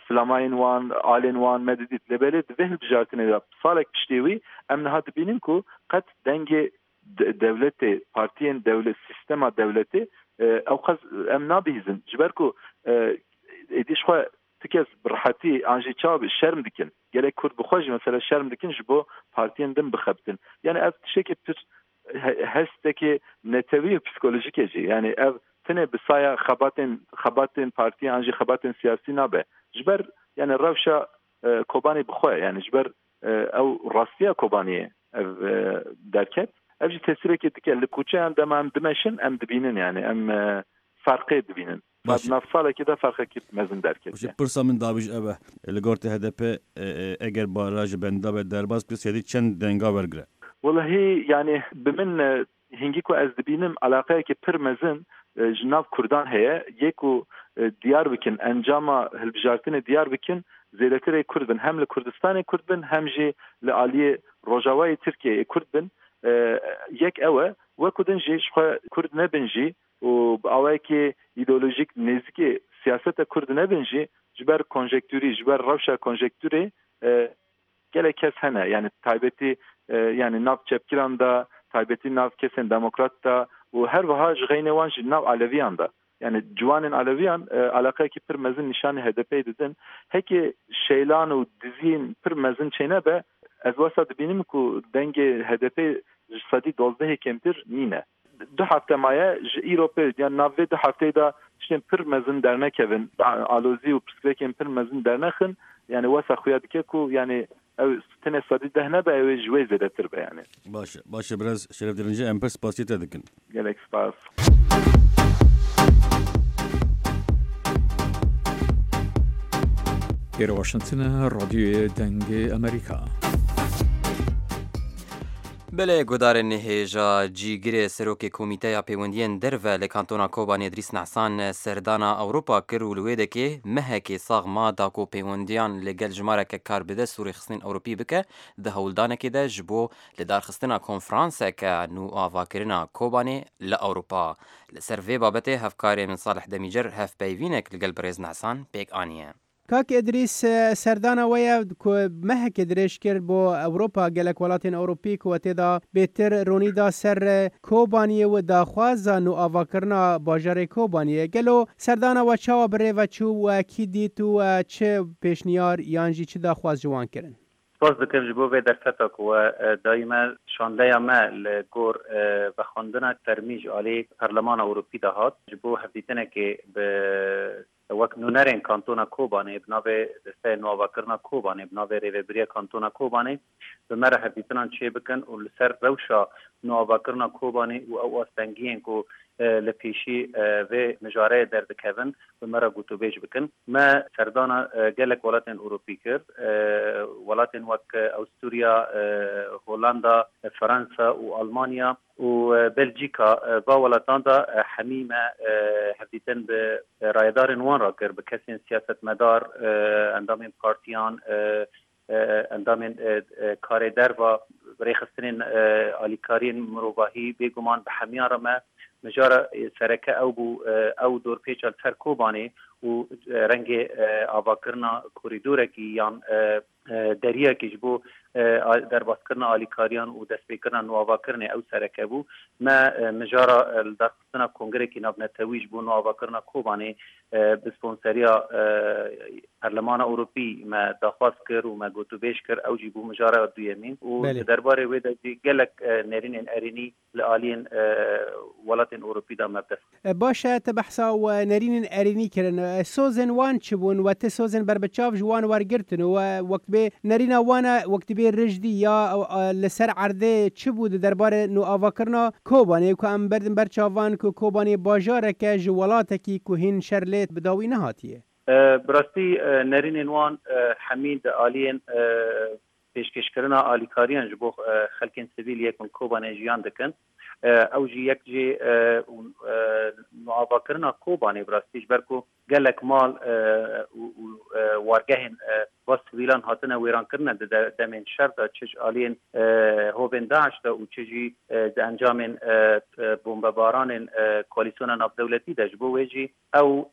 flamayên wan alên wan me didît lê belê di vê hilbijartinê de salek piştê wî em niha dibînin ku qet dengê dewletê partiyên dewlet sîstema dewletê ew qas em nabihîzin ji ber ku êdî ji xwe Ti kes bi rehetî an jî çawa bi şerm dikin. Gelek Kurd bi xwe jî mesela şerm dikin ji bo partiyên din bixebitin. Yani ev tiştekî pir hestekê netewî û psîkolojîk e jî. Yani ev tenê bi saya xebatên xebatên partî an jî xebatên siyasî nabe. Ji ber yani rewşa Kobanê bi xwe yani ji ber Ew rastiya Kobaniyê ev derket. Ev jî tesîrekê dike. Li kuçeyan dema em dimeşin em dibînin yanî em ferqê dibînin. Ma di nav salekê de ferqekî mezin derketiye. Pirsa min dawî jî ev e, li gor te hdp eger bara ji bendavê derbas bike sêdî çend denga wergire? Wellahî yanî bi min hingî ku ez dibînim elaqeyekî pir mezin ji nav kurdan heye. Yê ku diyar bikin encama hilbijartinê diyar bikin zêdetir ê kurd bin. Hem li Kurdistanê kurd bin hem jî li aliyê rojavayê Tirkiyeyê kurd bin. Yek ew e. Wekû din jî ji xwe kurd nebin jî û bi awayekî îdeolojîk nêzîkê siyaseta kurd nebin jî ji ber konjekturî, ji ber rewşa konjekturê gelek kes hene yanî taybetî yanî nav çepgiran de, taybetî nav kesên demokrat de û her wiha ji xeynê wan jî nav aleviyan de. Yanî ciwanên aleviyan eleqeyekî pir mezin nîşanî HDP'ê didin. Hekê şeylan û diziyên pir mezin çênebe ez wesa dibînim ku dengê HDP'ê ji sedî dozdehê kêmtir nîne. Du hefte maye ji îro pê yan nav vê du hefteyê de tiştên pir mezin dernekevin, alozî û pirsgirêkên pir mezin dernexin, yanî wesa xuya dike ku yanî ew tenê 10% nebe ew ê ji wê zêdetir be yanî. Baş e, baş e birêz Şeref Derince em pir spasiyê te dikin. Gelek spas. Îro Washington e, Radyoyê Dengê Amerîka. Belê guhdarên hêja cîgirê Serokê Komîteya Pêwendiyên Derve li Kantona Kobanê Îdrîs Nehsan serdana Ewropa kir û li wê dekê mehekê sax ma da ku pêwendiyan li gel jimareke karbidest û rêxistinên Ewropî bike di hewldanekê de ji bo lidarxistina konferanseke nûavakirina Kobanê li Ewropa. Li ser vê babetê hevkarê min Salih Demîcer hevpeyvînek li gel birêz Nehsan pêk aniye. Kak Îdrîs, serdana we ye ku mehekê dirêj kir bo Ewropa, gelek welatên Ewropî ku we tê de bêtir ronî da ser Kobaniyê û daxwaza nûavakirina bajarê Kobaniyê. Gelo serdana we çawa bi rê ve çû, we kî dît û çi pêşniyar yan jî çi daxwaz ji wan kirin? Spas dikim ji bo vê derfeta ku we dayî me. Şandeya me li gor vexwendina fermî ji aliyê Perlemana Ewropî de hat ji bo hevdîtinekê bi Wek nûnerên Kantona Kobanê bi navê Desteya Nûavakirina Kobanê bi navê Rêvebiriya Kantona Kobanê bi me re hevdîtinan çêbikin û li ser rewşa nûavakirina Kobanê û ew astengiyên ku li pêşî vê mijareyê derdikevin bi me re gotûbêj bikin. Me serdana gelek welatên Ewropî kir. Welatên wek Awusturya, Holanda, Fransa û Almanya. û Belcîka va welatan de hemî me hevdîtin bi rayedarên wan re kir, bi kesên siyasetmedar, endamên partiyan, endamên karê derva, rêxistinên alîkariyên mirovahî, bêguman bi hemiyan re me mijara sereke ew bû ew dorpêça li ser Kobanê û rengê avakirina korîdorekî yan Deriyekî ji bo derbaskirina alîkariyan û destpêkirina nûavakirinê ew sereke bû. Me mijara lidarxistina kongrekî navnetewî ji bo nûavakirina Kobanê bi sponseriya Perlemana Ewropî me daxwaz kir û me gotûbêj kir. Ew jî bû mijara duyemîn û di derbarê wê de jî gelek nêrînên erênî li aliyên welatên Ewropî de me bi dest xist. Baş e, te behsa nerînên erênî kirin. Sozên wan çi bûn? We ti sozên berbiçav ji wan wergirtin û wek dibê nerîna wan e wek dibê rijdî ya li ser erdê çi bû di derbarê nûavakirina Kobanê ku em berdin ber çavan ku Kobanê bajarek e ji welatekî ku hîn şer lê bi dawî nehatiye. Bi rastî nerînên wan hemî di aliyên Pêşkêşkirina alîkariyan ji bo xelkên sivîl yê ku li Kobanê jiyan dikin, ew jî yek jê nûavakirina Kobanê bi rastî ji ber ku gelek mal û wargehên va sivîlan hatine wêrankirine di demên şer de çi ji aliyên hovên DAIŞ de û çi jî di encamên bombebaranên koalîsyona navdewletî de ji bo wê jî ew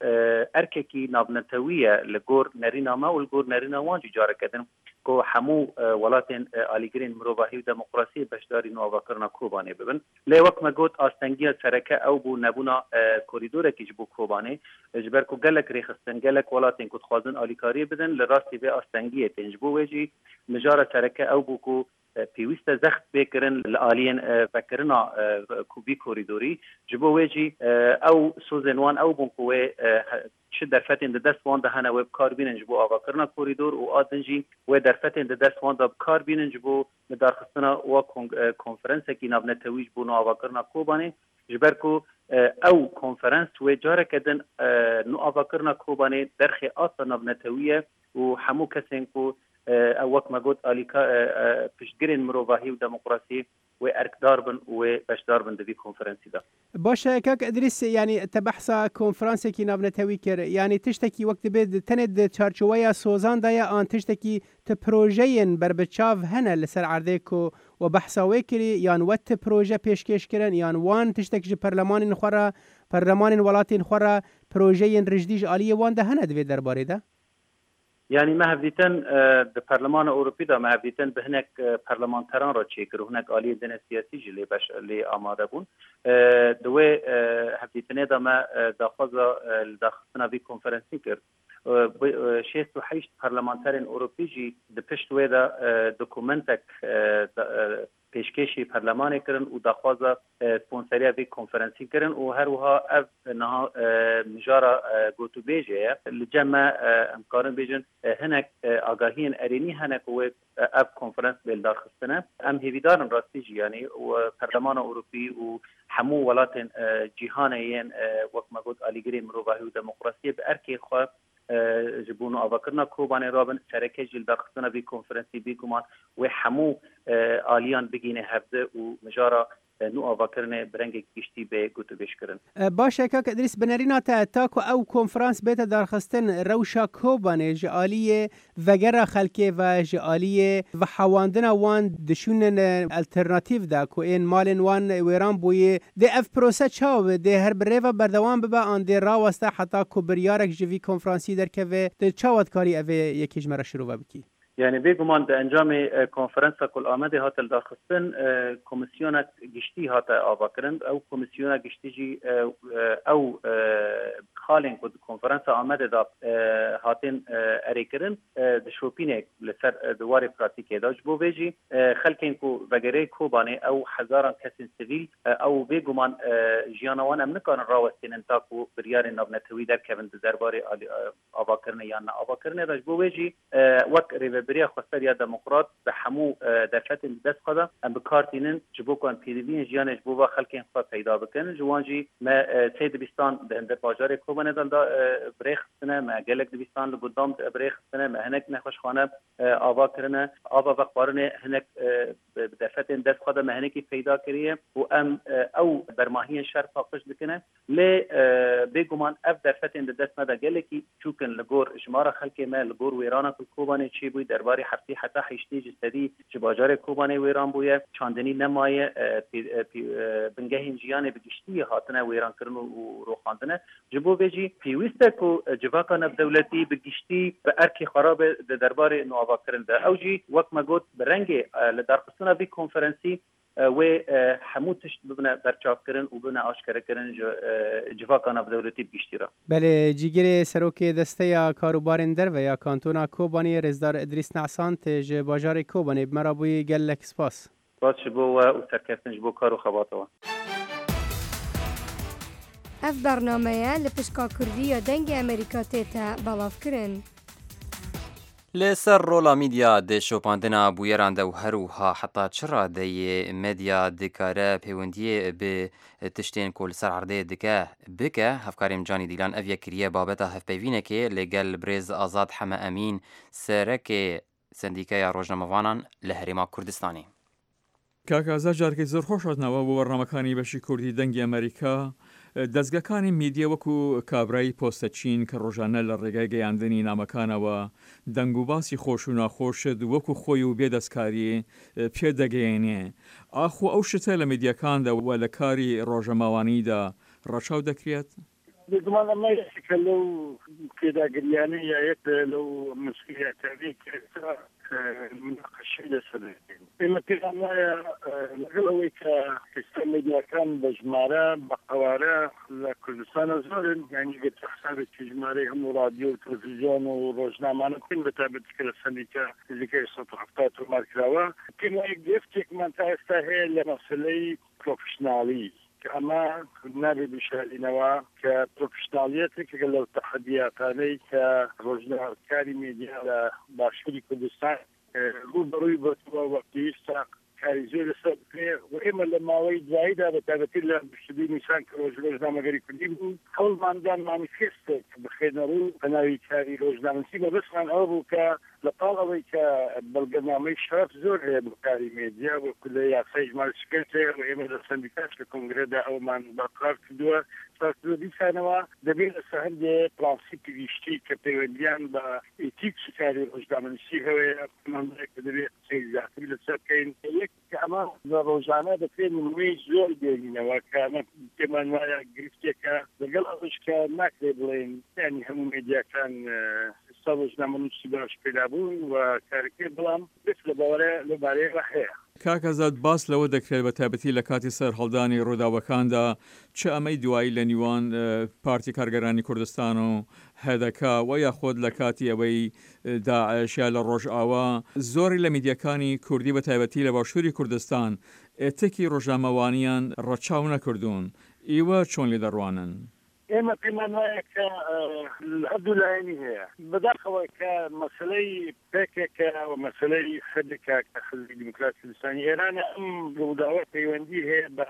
erkekî navnetewî ye li gor nerîna me û li gor nerîna wan jî careke din ku hemû welatên alîgirên mirovahî û demokrasiyê beşdarî nûavakirina Kobanê bibin. Lê wek me got astengiya sereke ew bû nebûna korîdorekî ji bo Kobanê. Ji ber ku gelek rêxistin, gelek welatên ku dixwazin alîkariyê bidin li rastî vê astengiyê tên. Ji bo wê jî mijara sereke ew bû ku pêwîst e zext bê kirin li aliyên vekirina vî korîdorî. Ji bo wê jî ew sozên wan ew bûn ku wê. چ دەرفەتێن di dest wan de hene wê bi kar bînin ji bo avakirina korîdor û a din jî wê derfetên di dest wan de bi kar bînin ji bo lidarxistina wa konferensekî navnetewî ji bo nûavakirina Kobanê ji ber ku ew konferens wê careke din nûavakirina Kobanê derxê asta navnetewî ye û hemû kesên ku ew wek me got alîka piştgirên mirovahî û demokrasî wê erkdar bin û wê beşdar bin di vî konferensî de. Baş e kak Îdrîs yanî te behsa konferansekî navnetewî kir yanî tiştekî wek dibê tenê di çarçoweya sozan de ye an tiştekî ti projeyên berbiçav hene li ser erdê ku we behsa wê kirî yan we ti proje pêşkêş kirin yan wan tiştek ji perlemanên xwe re perlemanên welatên xwe re projeyên rijdî ji aliyê wan de hene di vê derbarê de? Yanî me hevdîtin di Perlemana Ewropî de me hevdîtin bi hinek perlemanteran re çêkir û hinek aliyên din ên siyasî jî lê beş lê amade bûn. Di wê hevdîtinê de me daxwaza lidarxistina vî konferensî kir. 68 perlemanterên Ewropî jî di pişt wê de dokumentek pêşkêşî perlemanê kirin û daxwaza sponseriya vê konferensî kirin û her wiha ev niha mijara gotûbêjê ye. Li cem me em dikarin bêjin hinek agahiyên erênî hene ku wê ev konferens bê lidarxistine. Em hêvîdar in rastî jî yanî Perlemana Ewropî û hemû welatên cîhanê yên wek me got alîgirê mirovahî û demokrasiyê bi erkê xwe Ji bo nûavakirina Kobanê rabin, sereke jî li darxistina vî konferensî bêguman wê hemû aliyan bigihîne hevdi û mijara nûavakirinê bi rengekî giştî bê gotûbêjkirin. Baş e kak Îdrîs, bi nerîna te ta ku ew konferans bête darxistin rewşa Kobanê ji aliyê vegera xelkê ve, ji aliyê vehewandina wan di şûnên alternatîf de ku ên malên wan wêran bûyî, dê ev prose çawa be? Dê her bi rê ve berdewam bibe an dê raweste heta ku biryarek ji vî konferansî derkeve? Tu çawa dikarî evê yekê ji me re şirove bikî? Yanî bêguman di encamê konferensa ku li Amedê hate lidarxistin, komîsyonek giştî hate avakirin. Ew komîsyona giştî jî ew xalên ku di konferensa Amedê de hatin erêkirin dişopîne li ser di warê pratîkê de. Ji bo vê jî xelkên ku vegerê Kobanê ew hezaran kesên sivîl ew bêguman jiyana wan em nikarin rawestînin ta ku biryarên navnetewî derkevin di derbarê avakirinê yan neavakirinê de. Ji bo wê jî wek Rêveberiya Xweser ya Demokrat bi hemû derfetên di dest xwe de em bi kar tînin ji bo ku em pêdiviyên jiyanê ji bo va xelkên xwe peyda bikin. Ji wan jî me sê dibîstan di hindir bajarê Kobanê de bi rê xistine, me gelek dibîstan li gundan bi rê xistine, me hinek nexweşxane ava kirine, ava vexwarinê hinek bi derfetên dest xwe de me hinekî peyda kiriye û em ew bermahiyên şer paqij dikine. Lê bêguman ev derfetên di dest me de gelekî çûk in li gor jimara xelkê me, li gor wêrana ku li Kobanê çêbûyî derbarê heftê heta heştê ji sedî ji bajarê Kobanê wêran bûye, çandinî nemaye, bingehên jiyanê bi giştî hatine wêrankirin û roxandine. Ji bo vê jî pêwîst e ku civaka navdewletî bi giştî bi erkê xwe re be di derbarê nûavakirin de. Ew jî wek me got bi rengê lidarxistina vî konferensî wê hemû tişt bibine berçavkirin û bibine aşkerekirin ji civaka navdewletî bi giştî re. Belê, Cîgirê Serokê Desteya Karûbarên Derve ya Kantona Kobanê Rêzdar Îdrîs Ne'sant ji bajarê Kobanê bi me re bûyî gelek spas. Spas ji bo we û serkeftin ji bo kar û xebata we. Ev bernameye li pişka Kurdî ya Dengê Amerîka tête belavkirin. Li ser rola mîdya di şopandina bûyeran de û her wiha heta çi radeyê medya dikare pêwendiyê bi tiştên ku li ser erdê dike bike, hevkarê Canî Dîlan ev yek kiriye babeta hevpeyvînekê li gel birêz Azad Heme Emîn serekê Sendîkeya Rojnamevanan li Herêma Kurdistanê. کاک ئازاد جارێکی زۆر خۆش هاتنەوە بۆ بەرنامەکانی بەشی کوردی دەنگی ئەمەریکا. دەزگاکانی میدیا وەکو کابرای پۆستەچین کە ڕۆژانە لە ڕێگای گەیاندنی نامەکانەوە دەنگ و باسی خۆش و ناخۆشت وەکو خۆی و بێ دەستکاری پێ دەگەیەنێ ئاخۆ ئەو شتە لە میدیاکاندا و لە کاری ڕۆژەماوانیدا ڕەچاو دەکرێت؟ بێگومان ئەمە یەکێکە لەو پێداگرییانەی یا یەکێکە لەو مەسئولیاتانەی کە ئێستا موناقەشەی لەسەر دەکەین. ئێمە پێمان وایە لەگەڵ ئەوەی کە ئێستا مێدیاکان بە ژمارە، بە قەوارە لە کوردستانە زۆرن، یانی ئەگەر تۆ حسابێکی ژمارەی هەموو ڕادیۆ و تەلەفزیۆن و ڕۆژنامانە بکەین، بە تایبەتی کە لە سەندیکا نزیکەی 170 تۆمار کراوە، پێم وایە گرفتێکمان تا ئێستا هەیە لە مەسەلەی پرۆفشناڵی. کە ئەمە نابێ بیشارینەوە کە پرۆفشناڵیەت یەکێکە لەو تەحەدیاتانەی کە ڕۆژنامەکاری مێدیا لە باشووری کوردستان ڕووبەڕووی بۆتەوە و پێویستە کاری زۆر لەسەر بکرێ و ئێمە لە ماوەی دواییدا بە تایبەتی لە 22 نیسان کە ڕۆژی ڕۆژنامەگەری کوردی بوو هەوڵمان دا مانیفێستێک بخەینە ڕوو بە ناوی کاری ڕۆژنامەنووسی مەبەستمان ئەوە بوو کە لە پاڵ ئەوەی کە بەڵگەنامەی شەرەف زۆر هەیە بۆ کاری مێدیا وەکو لە یاسای ژمارە 45 هەیە و ئێمە لە سەندیکاش لە کۆنگرەدا ئەومان بەرقەرار کردووە کردووە دیسانەوە دەبێت لەسەر هەندێ پرانسیپی گشتی کە پەیوەندیان بە ئیتیکی کاری ڕۆژنامەنووسی هەیە پێمان وایە کە دەبێت قسەی زیاتر لەسەر بکەین. یەک کە ئەمە بە ڕۆژانە دەکرێت نموونەی زۆر بێنینەوە کە ئەمە پێمان وایە گرفتێکە، لەگەڵ ئەوەش کە ناکرێت بڵێین یانی هەموو مێدیاکان ئێستا ڕۆژنامەنووسی باش پەیدا بوون و کارەکەی، بەڵام گرفت لە بارە لەو بارەیەوە هەیە. کاک ئازاد باس لەوە دەکرێت بە تایبەتی لە کاتی سەرهەڵدانی ڕووداوەکاندا چ ئەمەی دوایی لە نیوان پارتی کارگەرانی کوردستان و هەدەکە و یاخود لە کاتی ئەوەی داعش یا لە ڕۆژئاوا، زۆرێک لە میدیاکانی کوردی بە تایبەتی لە باشووری کوردستان ئێتیکی ڕۆژنامەوانیان ڕەچاو نەکردوون، ئیوە چۆن لێ دەڕوانن؟ ئێمە پێمان وایە کە هەردوو لایەنی هەیە. بەداخەوە کە مەسەلەی پکک و مەسەلەی حدک کە حزبی دیموکراتی کوردستانی ئێرانە، ئەم ڕووداوە پەیوەندی هەیە بە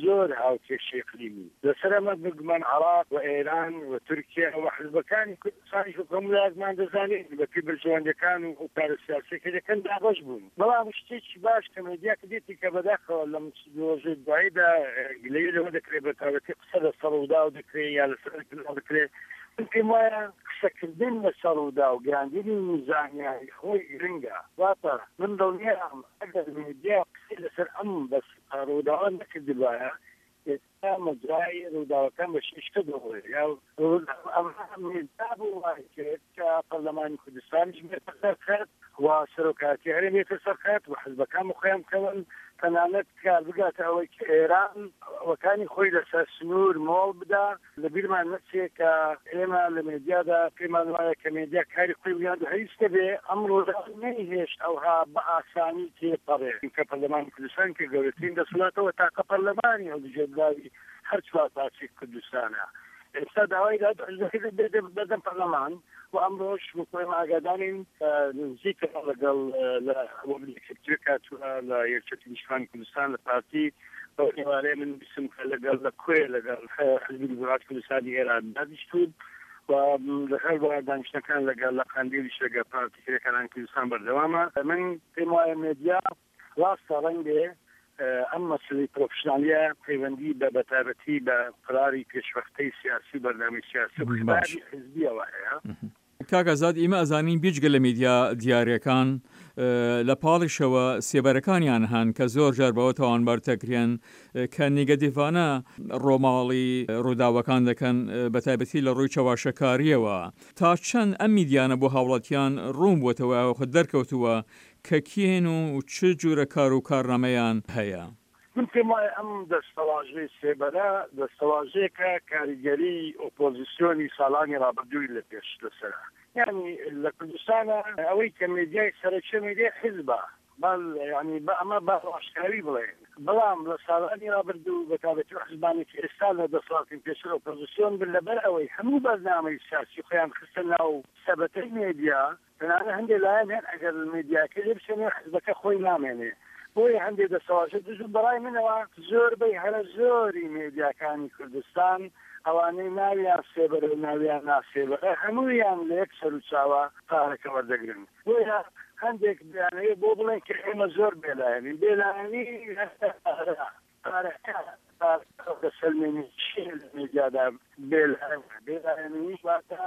زۆر هاوکێشەی ئیقلیمی. لەسەر ئەمە بێگومان عێراق و ئێران و تورکیا و حزبەکانی کوردستانیش وەک هەموو لایەکمان دەزانین بەپێی بەرژەوەندیەکان و ئەو کارە سیاسیە کە دەکەن دابەش بوون. بەڵام شتێکی باش کە مێدیا کردێتی کە بەداخەوە لەم ڕۆژەی دواییدا گلەیی لەوە دەکرێت بە تایبەتی قسە لەسەر ڕووداو دەکرێت یا لەسەر کەناڵ دەکرێت من پێم وایە قسەکردن لەسەر ڕووداو گەیاندنی زانیاری خۆی گرنگە واتە من دڵنیام ئەگەر مێدیا قسەی لەسەر ئەم بەس ڕووداوە نەکردبایە ئێستا مەجرای ڕووداوەکان بە شیشکە دەڕۆێ یا ئەمە مێدیا بوو وای کرد کە پەرلەمانی کوردستانیش بێتە سەر خەت و سەرۆکایەتی هەرێم بێتە سەر خەت و حزبەکان بە خۆیان بکەون تەنانەت کار بگاتە ئەوەی کە ئێران وەکانی خۆی لەسەر سنوور مۆڵ بدا لە بیرمان نەچێ کە ئێمە لە مێدیادا پێمان وایە کە مێدیا کاری خۆی بگات و هیچ نەبێ ئەم ڕووداوە نەیهێشت ئەوها بە ئاسانی تێپەڕێ کە پەرلەمانی کوردستان کە گەورەترین دەسەڵاتە و تاقە پەرلەمانی هەڵبژێردراوی هەر چوار پارچەی کوردستانە ئێستا داوای داد حزبەکە دەبێتە بەردەم پەرلەمان و ئەمڕۆش وەکو ئێمە ئاگادارین نزیکە لەگەڵ لە وەفدێکی ترک هاتووە لە یەکێتی نیشتمانی کوردستان لە پارتی ئەو ئێوارەیە من بیستم کە لەگەڵ لە کۆیە لەگەڵ حزبی دیموکراتی کوردستانی ئێران دانیشتوون و لەگەڵ دانیشتنەکان لەگەڵ لە قەندیلیش لەگەڵ پارتی کرێکارانی کوردستان بەردەوامە من پێم وایە مێدیا ڕاستە ڕەنگبێ ئەم مەسەلەی پرۆفشنالیە پەیوەندی بە بەتایبەتی بە قەراری پێشوەختەی سیاسی و بەرنامەی سیاسی و باش. خیتابی حزبیەوە هەیە. کاک ئازاد ئیمە ئەزانین بیجگە لە میدیا دیارەکان لە پاڵیشەوە سێبەرەکانیان هەن کە زۆر جار بەوە تاوانبار دەکرێن کە نیگەتیڤانە ڕۆماڵی ڕووداوەکان دەکەن بە تایبەتی لە ڕووی چەواشەکاریەوە تا چەند ئەم میدیانە بۆ هاوڵاتیان ڕوون بووەتەوە یاخود دەرکەوتووە کە کێن و چ جورە کار و کارنامەیان هەیە؟ من پێم وایە ئەم دەستەواژەی سێبەرە دەستەواژەیەکە کاریگەری ئۆپۆزیسیۆنی ساڵانی ڕابردووی لە پێش لەسەرە. یانی لە کوردستانا ئەوەی کە مێدیای سەرەکیە مێدیای حیزبە با یانی با ئەمە بە ڕاشکاوی بڵێین. بەڵام لە ساڵانی ڕابردوو بە تایبەتی ئەو حیزبانەی کە ئێستا لە دەسەڵاتن پێشتر ئۆپۆزیسیۆن بن لەبەر ئەوەی هەموو بەرنامەی سیاسی خۆیان خستە ناو سەبەتەی مێدیا تەنانەت هەندێ لایەن هەن ئەگەر میدیاکەی لێ بسێنێ حزبەکە خۆی نامێنێ بۆیە هەندێ دەستەواژە دژ و بەڕای منەوە زۆربەی هەرە زۆری مێدیاکانی کوردستان ئەوانەی ناویان سێبەرە و ناویان ناسێبەرە هەموویان لە یەک سەروچاوە پارەکە وەردەگرن بۆیە هەندێک دەیانەوێت بۆ بڵێن کە ئێمە زۆر بێلایەنین بێلایەنی پارە پارەکە پارەکە دەسەلمێنی چییە لە مێدیادا بێلایەنە بێلایەنی واتە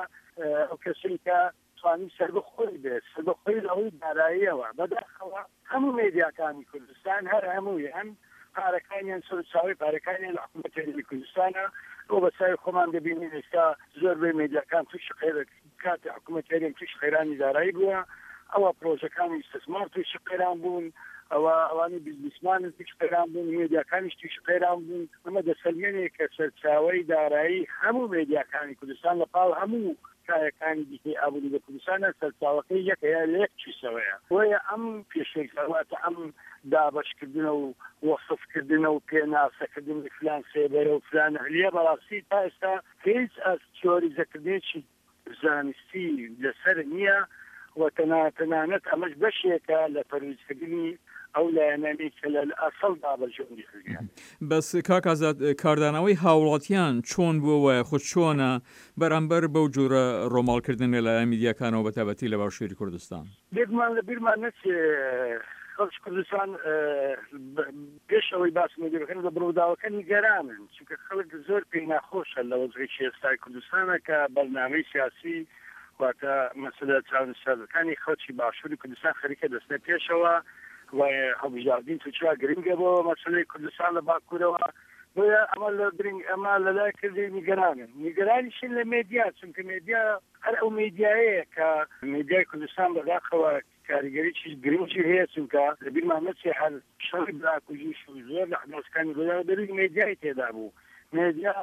ئەو کەسەی کە توانی سەربەخۆی بێت، سەربەخۆی لە ڕووی داراییەوە، بەداخەوە هەموو مێدیاکانی کوردستان هەر هەموویان پارەکانیان سەرچاوەی پارەکانیان لە حکوومەتی هەرێمی کوردستانە و بە چاوی خۆمان دەبینین ئێستا زۆربەی مێدیاکان تووشی قەیران کاتی حکوومەتی هەرێم تووشی قەیرانی دارایی بووە ئەوە پرۆژەکانی ئیستسمار تووشی قەیران بوون ئەوە ئەوانی بزنسمانن تووشی قەیران بوون مێدیاکانیش تووشی قەیران بوون ئەمە دەسەلمێنێ کە سەرچاوەی دارایی هەموو مێدیاکانی کوردستان لە پاڵ هەموو. کایەکانی دیکەی ئابووری لە کوردستانە سەرچاوەکەی یەکە یا لە یەک کیسەوەیە. بۆیە ئەم پێشێلکاریە ئەم دابەشکردنە و وەسفکردنە و پێناسەکردنی فلان سێبەرە و فلان ئەهلیە بەڕاستی تا ئێستا هیچ تیۆریزەکردنێکی زانستی لەسەر نییە و تەنانەت ئەمەش بەشێکە لە تەرویجکردنی ئەو لایەنانەی کە لە ئەسڵدا بەرژەوەندی حزبیان. بەس کاک ئازاد کاردانەوەی هاوڵاتیان چۆن بووە وایە خود چۆنە بەرامبەر بەو جۆرە ڕۆماڵکردن لەلایەن میدیاکانەوە بەتایبەتی لە باشووری کوردستان؟ بێگومان لە بیرمان نەچێ خەڵکی کوردستان پێش ئەوەی باسی مێدیا بکەن لە ڕووداوەکە نیگەرانن، چونکە خەڵک زۆر پێی ناخۆشە لە وەزعێکی ئێستای کوردستانە کە بەرنامەی سیاسی واتە مەسەلە چارەنووسسازەکانی خەڵکی باشووری کوردستان خەریکە دەچنە پێشەوە و هەڵبژاردنی تورکیا گرنگە بۆ مەسەلەی کوردستان لە باکوورەوە بۆیە ئەمە لە گرنگ ئەمە لەلای کردی نیگەرانن نیگەرانیشن لە مێدیا چونکە مێدیا هەر ئەو مێدیایەیە کە مێدیای کوردستان بەداخەوە کاریگەریی گرنگی هەیە، چونکە لە بیرمان نەچێ هەر شەڕی براکوژیش و زۆر لە ئەحداسەکانی ڕووداوە دەروونی مێدیای تێدا بوو. مێدیا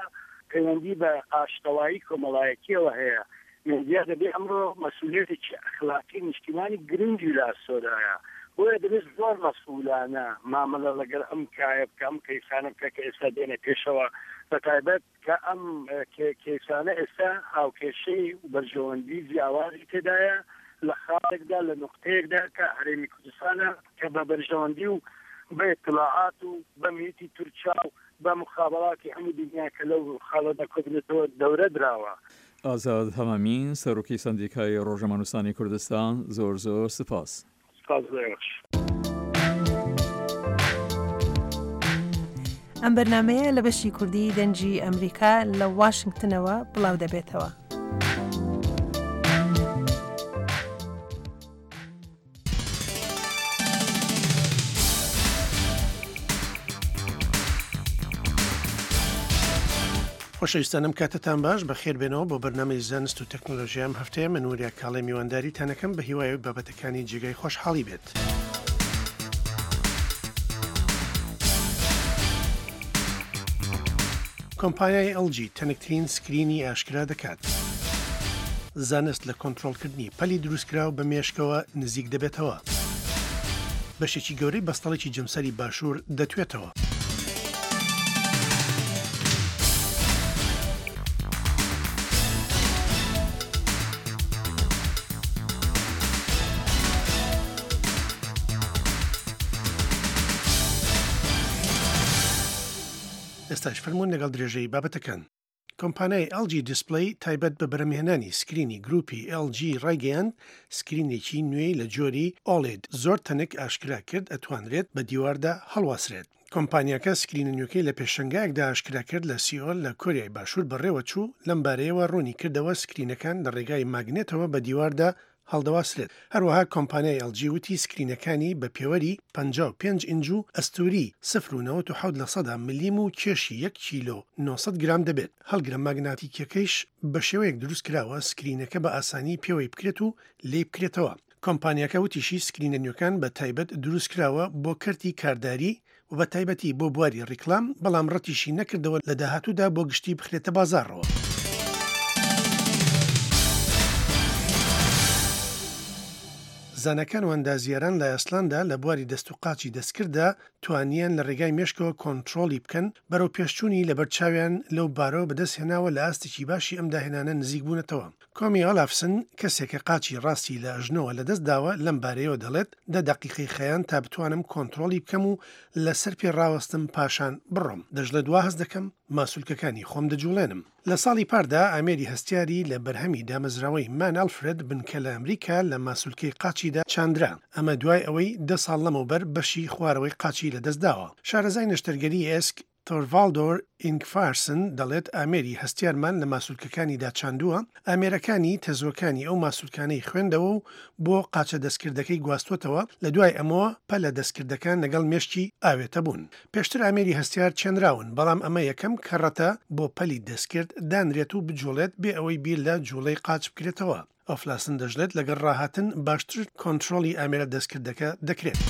پەیوەندی بە ئاشتەوایی کۆمەڵایەتییەوە هەیە. مێدیا دەبێ ئەمڕۆ مەسئولیەتێکی ئەخلاقی نیشتیمانی گرنگی لە ئەستۆدایە. بۆیە دەبێ زۆر مەسئولانە مامەلە لەگەڵ ئەم کایە بکا، ئەم کەیسانە بکا کە ئێستا دێنە پێشەوە، بەتایبەت کە ئەم کەیسانە ئێستا هاوکێشەی و بەرژەوەندی جیاوازی تێدایە لە خاڵێکدا لە نوقتەیەکدا کە هەرێمی کوردستانە کە بە بەرژەوەندی و بە ئیتڵاعات و بە میتی تورکیا و بە موخابەراتی هەموو دنیا کە لەو خاڵەدا کۆبنێتەوە دەورە دراوە. ئازاد هەمامین، سەرۆکی سەندیکای ڕۆژنامەنووسانی کوردستان، زۆر زۆر سپاس. سپاس بۆ ئێوەش. ئەم بەرنامەیە لە بەشی کوردی دەنگی ئەمریکا لە واشنگتنەوە بڵاو دەبێتەوە. خۆشەویستان ئەم کاتەتان باش بەخێر بێنەوە بۆ بەرنامەی زانست و تەکنۆلۆژیا ئەم هەفتەیە من وریا کاڵێ میوانداریتانەکەم بە هیوای ئەوەی بابەتەکانی جێگای خۆشحاڵی بێت. کۆمپانیای LG تەنکترین سکرینی ئاشکرا دەکات. زانست لە کۆنترۆڵکردنی پەلی دروستکراو بە مێشکەوە نزیک دەبێتەوە. بەشێکی گەورەی بەستەڵەکی جەمسەری باشوور دەتوێتەوە. ئێستاش فەرموون لەگەڵ درێژەی بابەتەکان. کۆمپانیای ئێڵ جی دیسپلەی تایبەت بە بەرهەمهێنانی سکرینی گروپی ئێڵ جی ڕایگەیاند، سکرینێکی نوێی لە جۆری ئۆلێد زۆر تەنک ئاشکرا کرد ئەتوانرێت بە دیواردا هەڵواسرێت. کۆمپانیاکە سکرینە نوێکەی لە پێشەنگایەکدا ئاشکرا کرد لە سیئۆل لە کۆریای باشوور بەڕێوەچوو، لەم بارەیەوە ڕوونی کردەوە سکرینەکان لە ڕێگای ماگنێتەوە بە دیواردا هەڵدەواسرێت. هەروەها کۆمپانیای ئێڵ جی وتی سکرینەکانی بە پێوەری 55 ئینج و ئەستووری سفر و 97 لەسەدا ملیم و کێشی یەک کیلۆ 900 گرام دەبێت. هەڵگرە ماگناتیکیەکەیش بە شێوەیەک دروست کراوە سکرینەکە بە ئاسانی پێوەی بکرێت و لێی بکرێتەوە. کۆمپانیاکە وتیشی سکرینە نوێکان بە تایبەت دروست کراوە بۆ کەرتی کارداری و بە تایبەتی بۆ بواری ڕیکلام، بەڵام ڕەتیشی نەکردەوە لە داهاتوودا بۆ گشتی بخرێتە بازاڕەوە. زاناکان و ئەندازیاران لە ئایسلاندا لە بواری دەست و قاچی دەستکرددا توانیان لە ڕێگای مێشکەوە کۆنترۆڵی بکەن، بەرەو پێشچوونی لەبەر چاویان لەو بارەوە بەدەست هێناوە لە ئاستێکی باشی ئەم داهێنانە نزیک بوونەتەوە. کۆمی ئۆلافسن، کەسێک کە قاچی ڕاستی لە ئەژنۆوە لەدەست داوە، لەم بارەیەوە دەڵێت، دە دەقیقەی خایاند تا بتوانم کۆنترۆڵی بکەم و لەسەر پێ ڕاوەستم پاشان بڕۆم. دەشڵێت وا هەست دەکەم ماسولکەکانی خۆم دەجوڵێنم. لە ساڵی پاردا ئامێری هەستیاری لە بەرهەمی دامەزراوەی مان ئەلفرێد بنکە لە ئەمریکا لە ماسولکەی قاچیدا چاندرا، ئەمە دوای ئەوەی دە ساڵ لەمەوبەر بەشی خوارەوەی قاچی لەدەست داوە. شارەزای نەشتەرگەری ئێسک، تۆرڤاڵدۆر ئینگفارسن دەڵێت ئامێری هەستیارمان لە ماسولکەکانیدا چاندووە، ئامێرەکانی تەزووەکانی ئەو ماسولکانەی خوێندەوە و بۆ قاچە دەستکردەکەی گواستووەتەوە، لە دوای ئەمەوە پەلە دەستکردەکان لەگەڵ مێشکی ئاوێتە بوون. پێشتر ئامێری هەستیار چێنراون، بەڵام ئەمە یەکەم کەڕەتە بۆ پەلی دەستکرد دانرێت و بجوڵێت بێ ئەوەی بیر لە جوڵەی قاچ بکرێتەوە. ئۆفلاسن دەشڵێت لەگەڵ ڕاهاتن باشتر کۆنترۆڵی ئامێرە دەستکردەکە دەکرێت.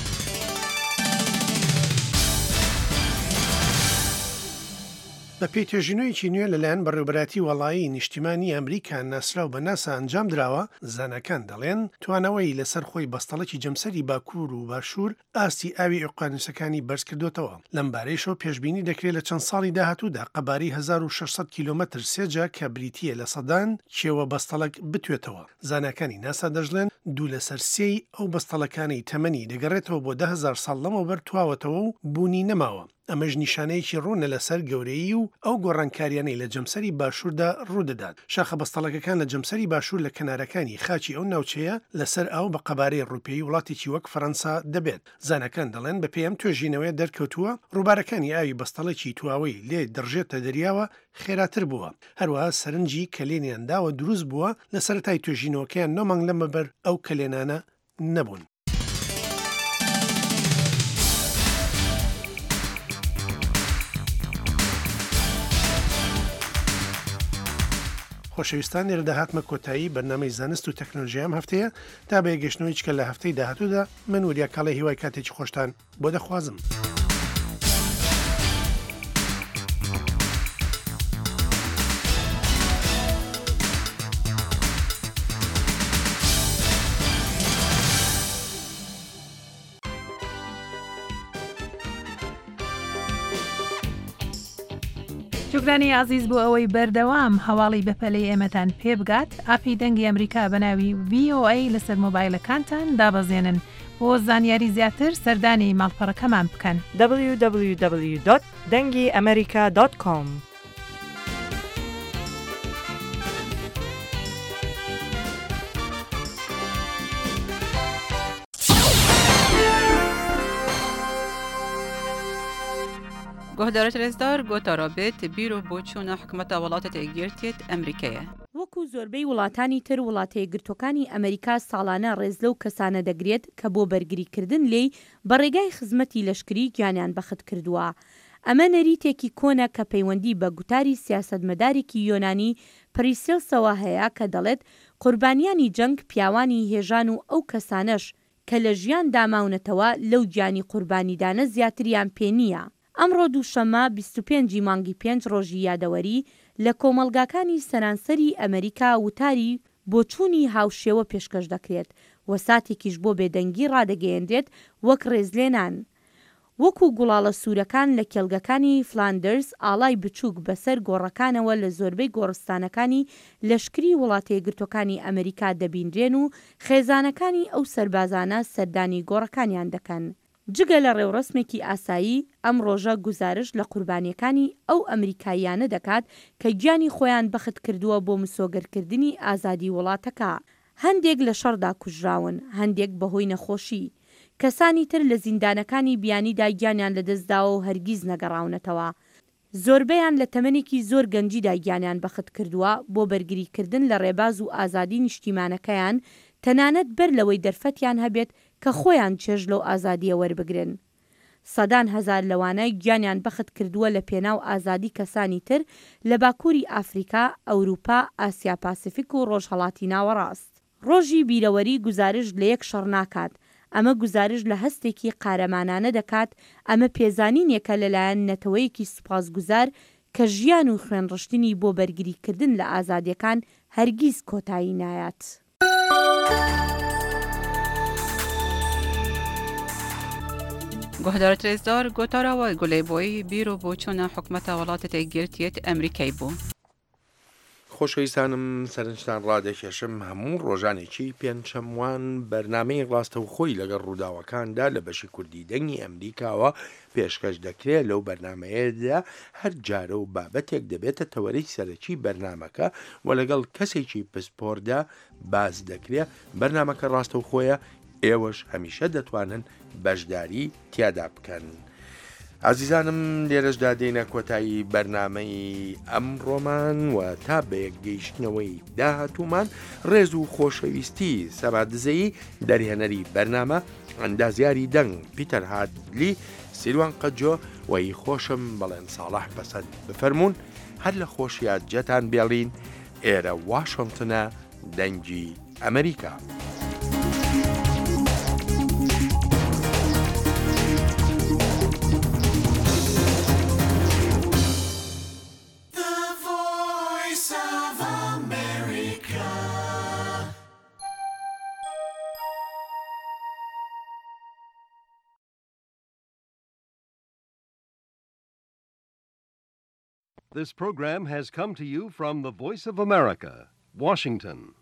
بەپێی توێژینەوەیەکی نوێ لەلایەن بەڕێوەبەرایەتی وەڵایی نیشتیمانی ئەمریکا ناسراو بە ناسا ئەنجامدراوە، زاناکان دەڵێن توانەوەی لەسەر خۆی بەستەڵەکی جەمسەری باکوور و باشوور ئاستی ئاوی ئۆقیانوسەکانی بەرزکردۆتەوە، لەمبارەیشەوە پێشبینی دەکرێت لە چەند ساڵی داهاتوودا قەبارەی 1600 کیلۆمەتر سێجا کە بریتییە لە سەدان کێوە بەستەڵەک بتوێتەوە. زاناکانی ناسا دەشڵێن دوو لەسەر سێی ئەو بەستەڵەکانەی تەمەنی دەگەڕێتەوە بۆ 10,000 ساڵ لەمەوبەر تواوەتەوە و بوونی نەماوە. ئەمەش نیشانەیەکی ڕوونە لەسەر گەورەیی و ئەو گۆڕانکاریانەی لە جەمسەری باشووردا ڕوودەدات. شاخە بەستەڵەکەکان لە جەمسەری باشوور لە کەنارەکانی خاکی ئەو ناوچەیە لەسەر ئاو بە قەبارەی ڕووپێی وڵاتێکی وەک فەرەنسا دەبێت. زاناکان دەڵێن بەپێی ئەم توێژینەوەیە دەرکەوتووە ڕووبارەکانی ئاوی بەستەڵەکی تواوەی لێ دەڕژێتە دەریاوە خێراتر بووە. هەروەها سەرنجی کەلێنیان داوە دروست بووە لە سەرەتای توێژینەوەکەیان نۆ مانگ لەمەبەر ئەو کەلێنانە نەبوون. خۆشەویستان لێرەدا هاتمە کۆتایی بەرنامەی زانست و تەکنەلۆژیای ئەم هەفتەیە تا بە یەکگەشتنەوەی چکە لە هەفتەی داهاتوودا من وریا کاڵێ هیوای کاتێکی خۆشتان بۆ دەخوازم. شوکرانی ئازیز بۆ ئەوەی بەردەوام هەواڵی بەپەلەی ئێمەتان پێ بگات، ئاپی دەنگی ئەمریکا بە ناوی VOA لەسەر مۆبایلەکانتان دابەزێنن. بۆ زانیاری زیاتر سەردانی ماڵپەڕەکەمان بکەن. www دەنگی ئەمریکا دۆت کۆم. گۆهدارێت رێزدار گۆتارا بێت بیر و بۆچوونە حکومەتە وڵاتێت یەکگرتیێت ئەمریکەیە. وەکو زۆربەی وڵاتانی تر وڵاتەیەکگرتوەکانی ئەمریکا ساڵانە ڕێز لەو کەسانە دەگرێت کە بۆ بەرگری کردن لێی بە ڕێگای خزمەتی لەشکری گیانیان بەخت کردووە. ئەمە نەریتێکی کۆنە کە پەیوەندی بە گوتاری سیاسەتمەدارێکی یۆنانی پریسێلسەوە هەیە کە دەڵێت قوربانیانی جەنگ پیاوانی هێژان و ئەو کەسانەش کە لە ژیاندا ماونەتەوە لەو گیانی قوربانیدانە زیاتریان پێ نییە. ئەمڕۆ دووشەممە 25 ی مانگی پێنج ڕۆژی یادەوەری، لە کۆمەڵگاکانی سەرانسەری ئەمریکا وتاری بۆچوونی هاوشێوە پێشکەش دەکرێت و ساتێکیش بۆ بێدەنگی ڕادەگەیەنرێت وەک ڕێزلێنان. وەکو گوڵاڵە سوورەکان لە کێڵگەکانی فلاندرز ئاڵای بچووک بەسەر گۆڕەکانەوە لە زۆربەی گۆڕستانەکانی لەشکری وڵاتەیەکگرتووەکانی ئەمریکا دەبینرێن و خێزانەکانی ئەو سەربازانە سەردانی گۆڕەکانیان دەکەن. جگە لە ڕێوڕەسمێکی ئاسایی، ئەم ڕۆژە گوزارشت لە قوربانییەکانی ئەو ئەمریکاییانە دەکات کە گیانی خۆیان بەخت کردووە بۆ مسۆگەرکردنی ئازادی وڵاتەکە. هەندێک لە شەڕدا کوژراون، هەندێک بەهۆی نەخۆشی. کەسانی تر لە زیندانەکانی بیانیدا گیانیان لەدەستداوە و هەرگیز نەگەڕاونەتەوە. زۆربەیان لە تەمەنێکی زۆر گەنجیدا گیانیان بەخت کردووە بۆ بەرگریکردن لە ڕێباز و ئازادی نیشتیمانەکەیان، تەنانەت بەر لەوەی دەرفەتیان هەبێت کە خۆیان چێژ لەو ئازادییە وەربگرن. سەدان هەزار لەوانە گیانیان بەخت کردووە لە پێناو ئازادی کەسانی تر لە باکووری ئافریکا، ئەوروپا، ئاسیا پاسیفیک و ڕۆژهەڵاتی ناوەڕاست. ڕۆژی بیرەوەری گوزارشت لە یەک شەڕ ناکات، ئەمە گوزارشت لە هەستێکی قارەمانانە دەکات، ئەمە پێزانینێکە لەلایەن نەتەوەیەکی سوپاسگوزار کە ژیان و خوێنڕشتنی بۆ بەرگریکردن لە ئازادیەکان هەرگیز کۆتایی نایات. گۆهدارت رێزدار گۆتارا وە گولەی بۆی بیر و بۆچوونە حکومەتە وڵاتێت یەکگرتیێت ئەمریکای بوو. خۆشەویستانم سەرنجتان ڕادەکێشم هەموو ڕۆژانێکی پێنجشەموان بەرنامەی ڕاستەوخۆی لەگەڵ ڕووداوەکاندا لە بەشی کوردی دەنگی ئەمریکاوە پێشکەش دەکرێت لەو بەرنامەیەدا هەر جارە و بابەتێک دەبێتە تەوەرەی سەرەکی بەرنامەکە و لەگەڵ کەسێکی پسپۆردا باس دەکرێ بەرنامەکە ڕاستەوخۆیە ئێوەش هەمیشە دەتوانن بەشداری تیادا بکەن. ئازیزانم لێرەشدا دێینە کۆتایی بەرنامەی ئەمڕۆمان و تا بەیەکگەیشتنەوەی داهاتوومان ڕێز و خۆشەویستی سەما دزەیی دەرهێنەری بەرنامە ئەندازیاری دەنگ پیتەر هادلی سیروان قەجۆ و هی خۆشم بەڵێن ساڵح پەسەند بفەرموون هەر لە خۆشیا جێتان بێڵین ئێرە واشنتنە دەنگی ئەمریکا. This program has come to you from the Voice of America, Washington.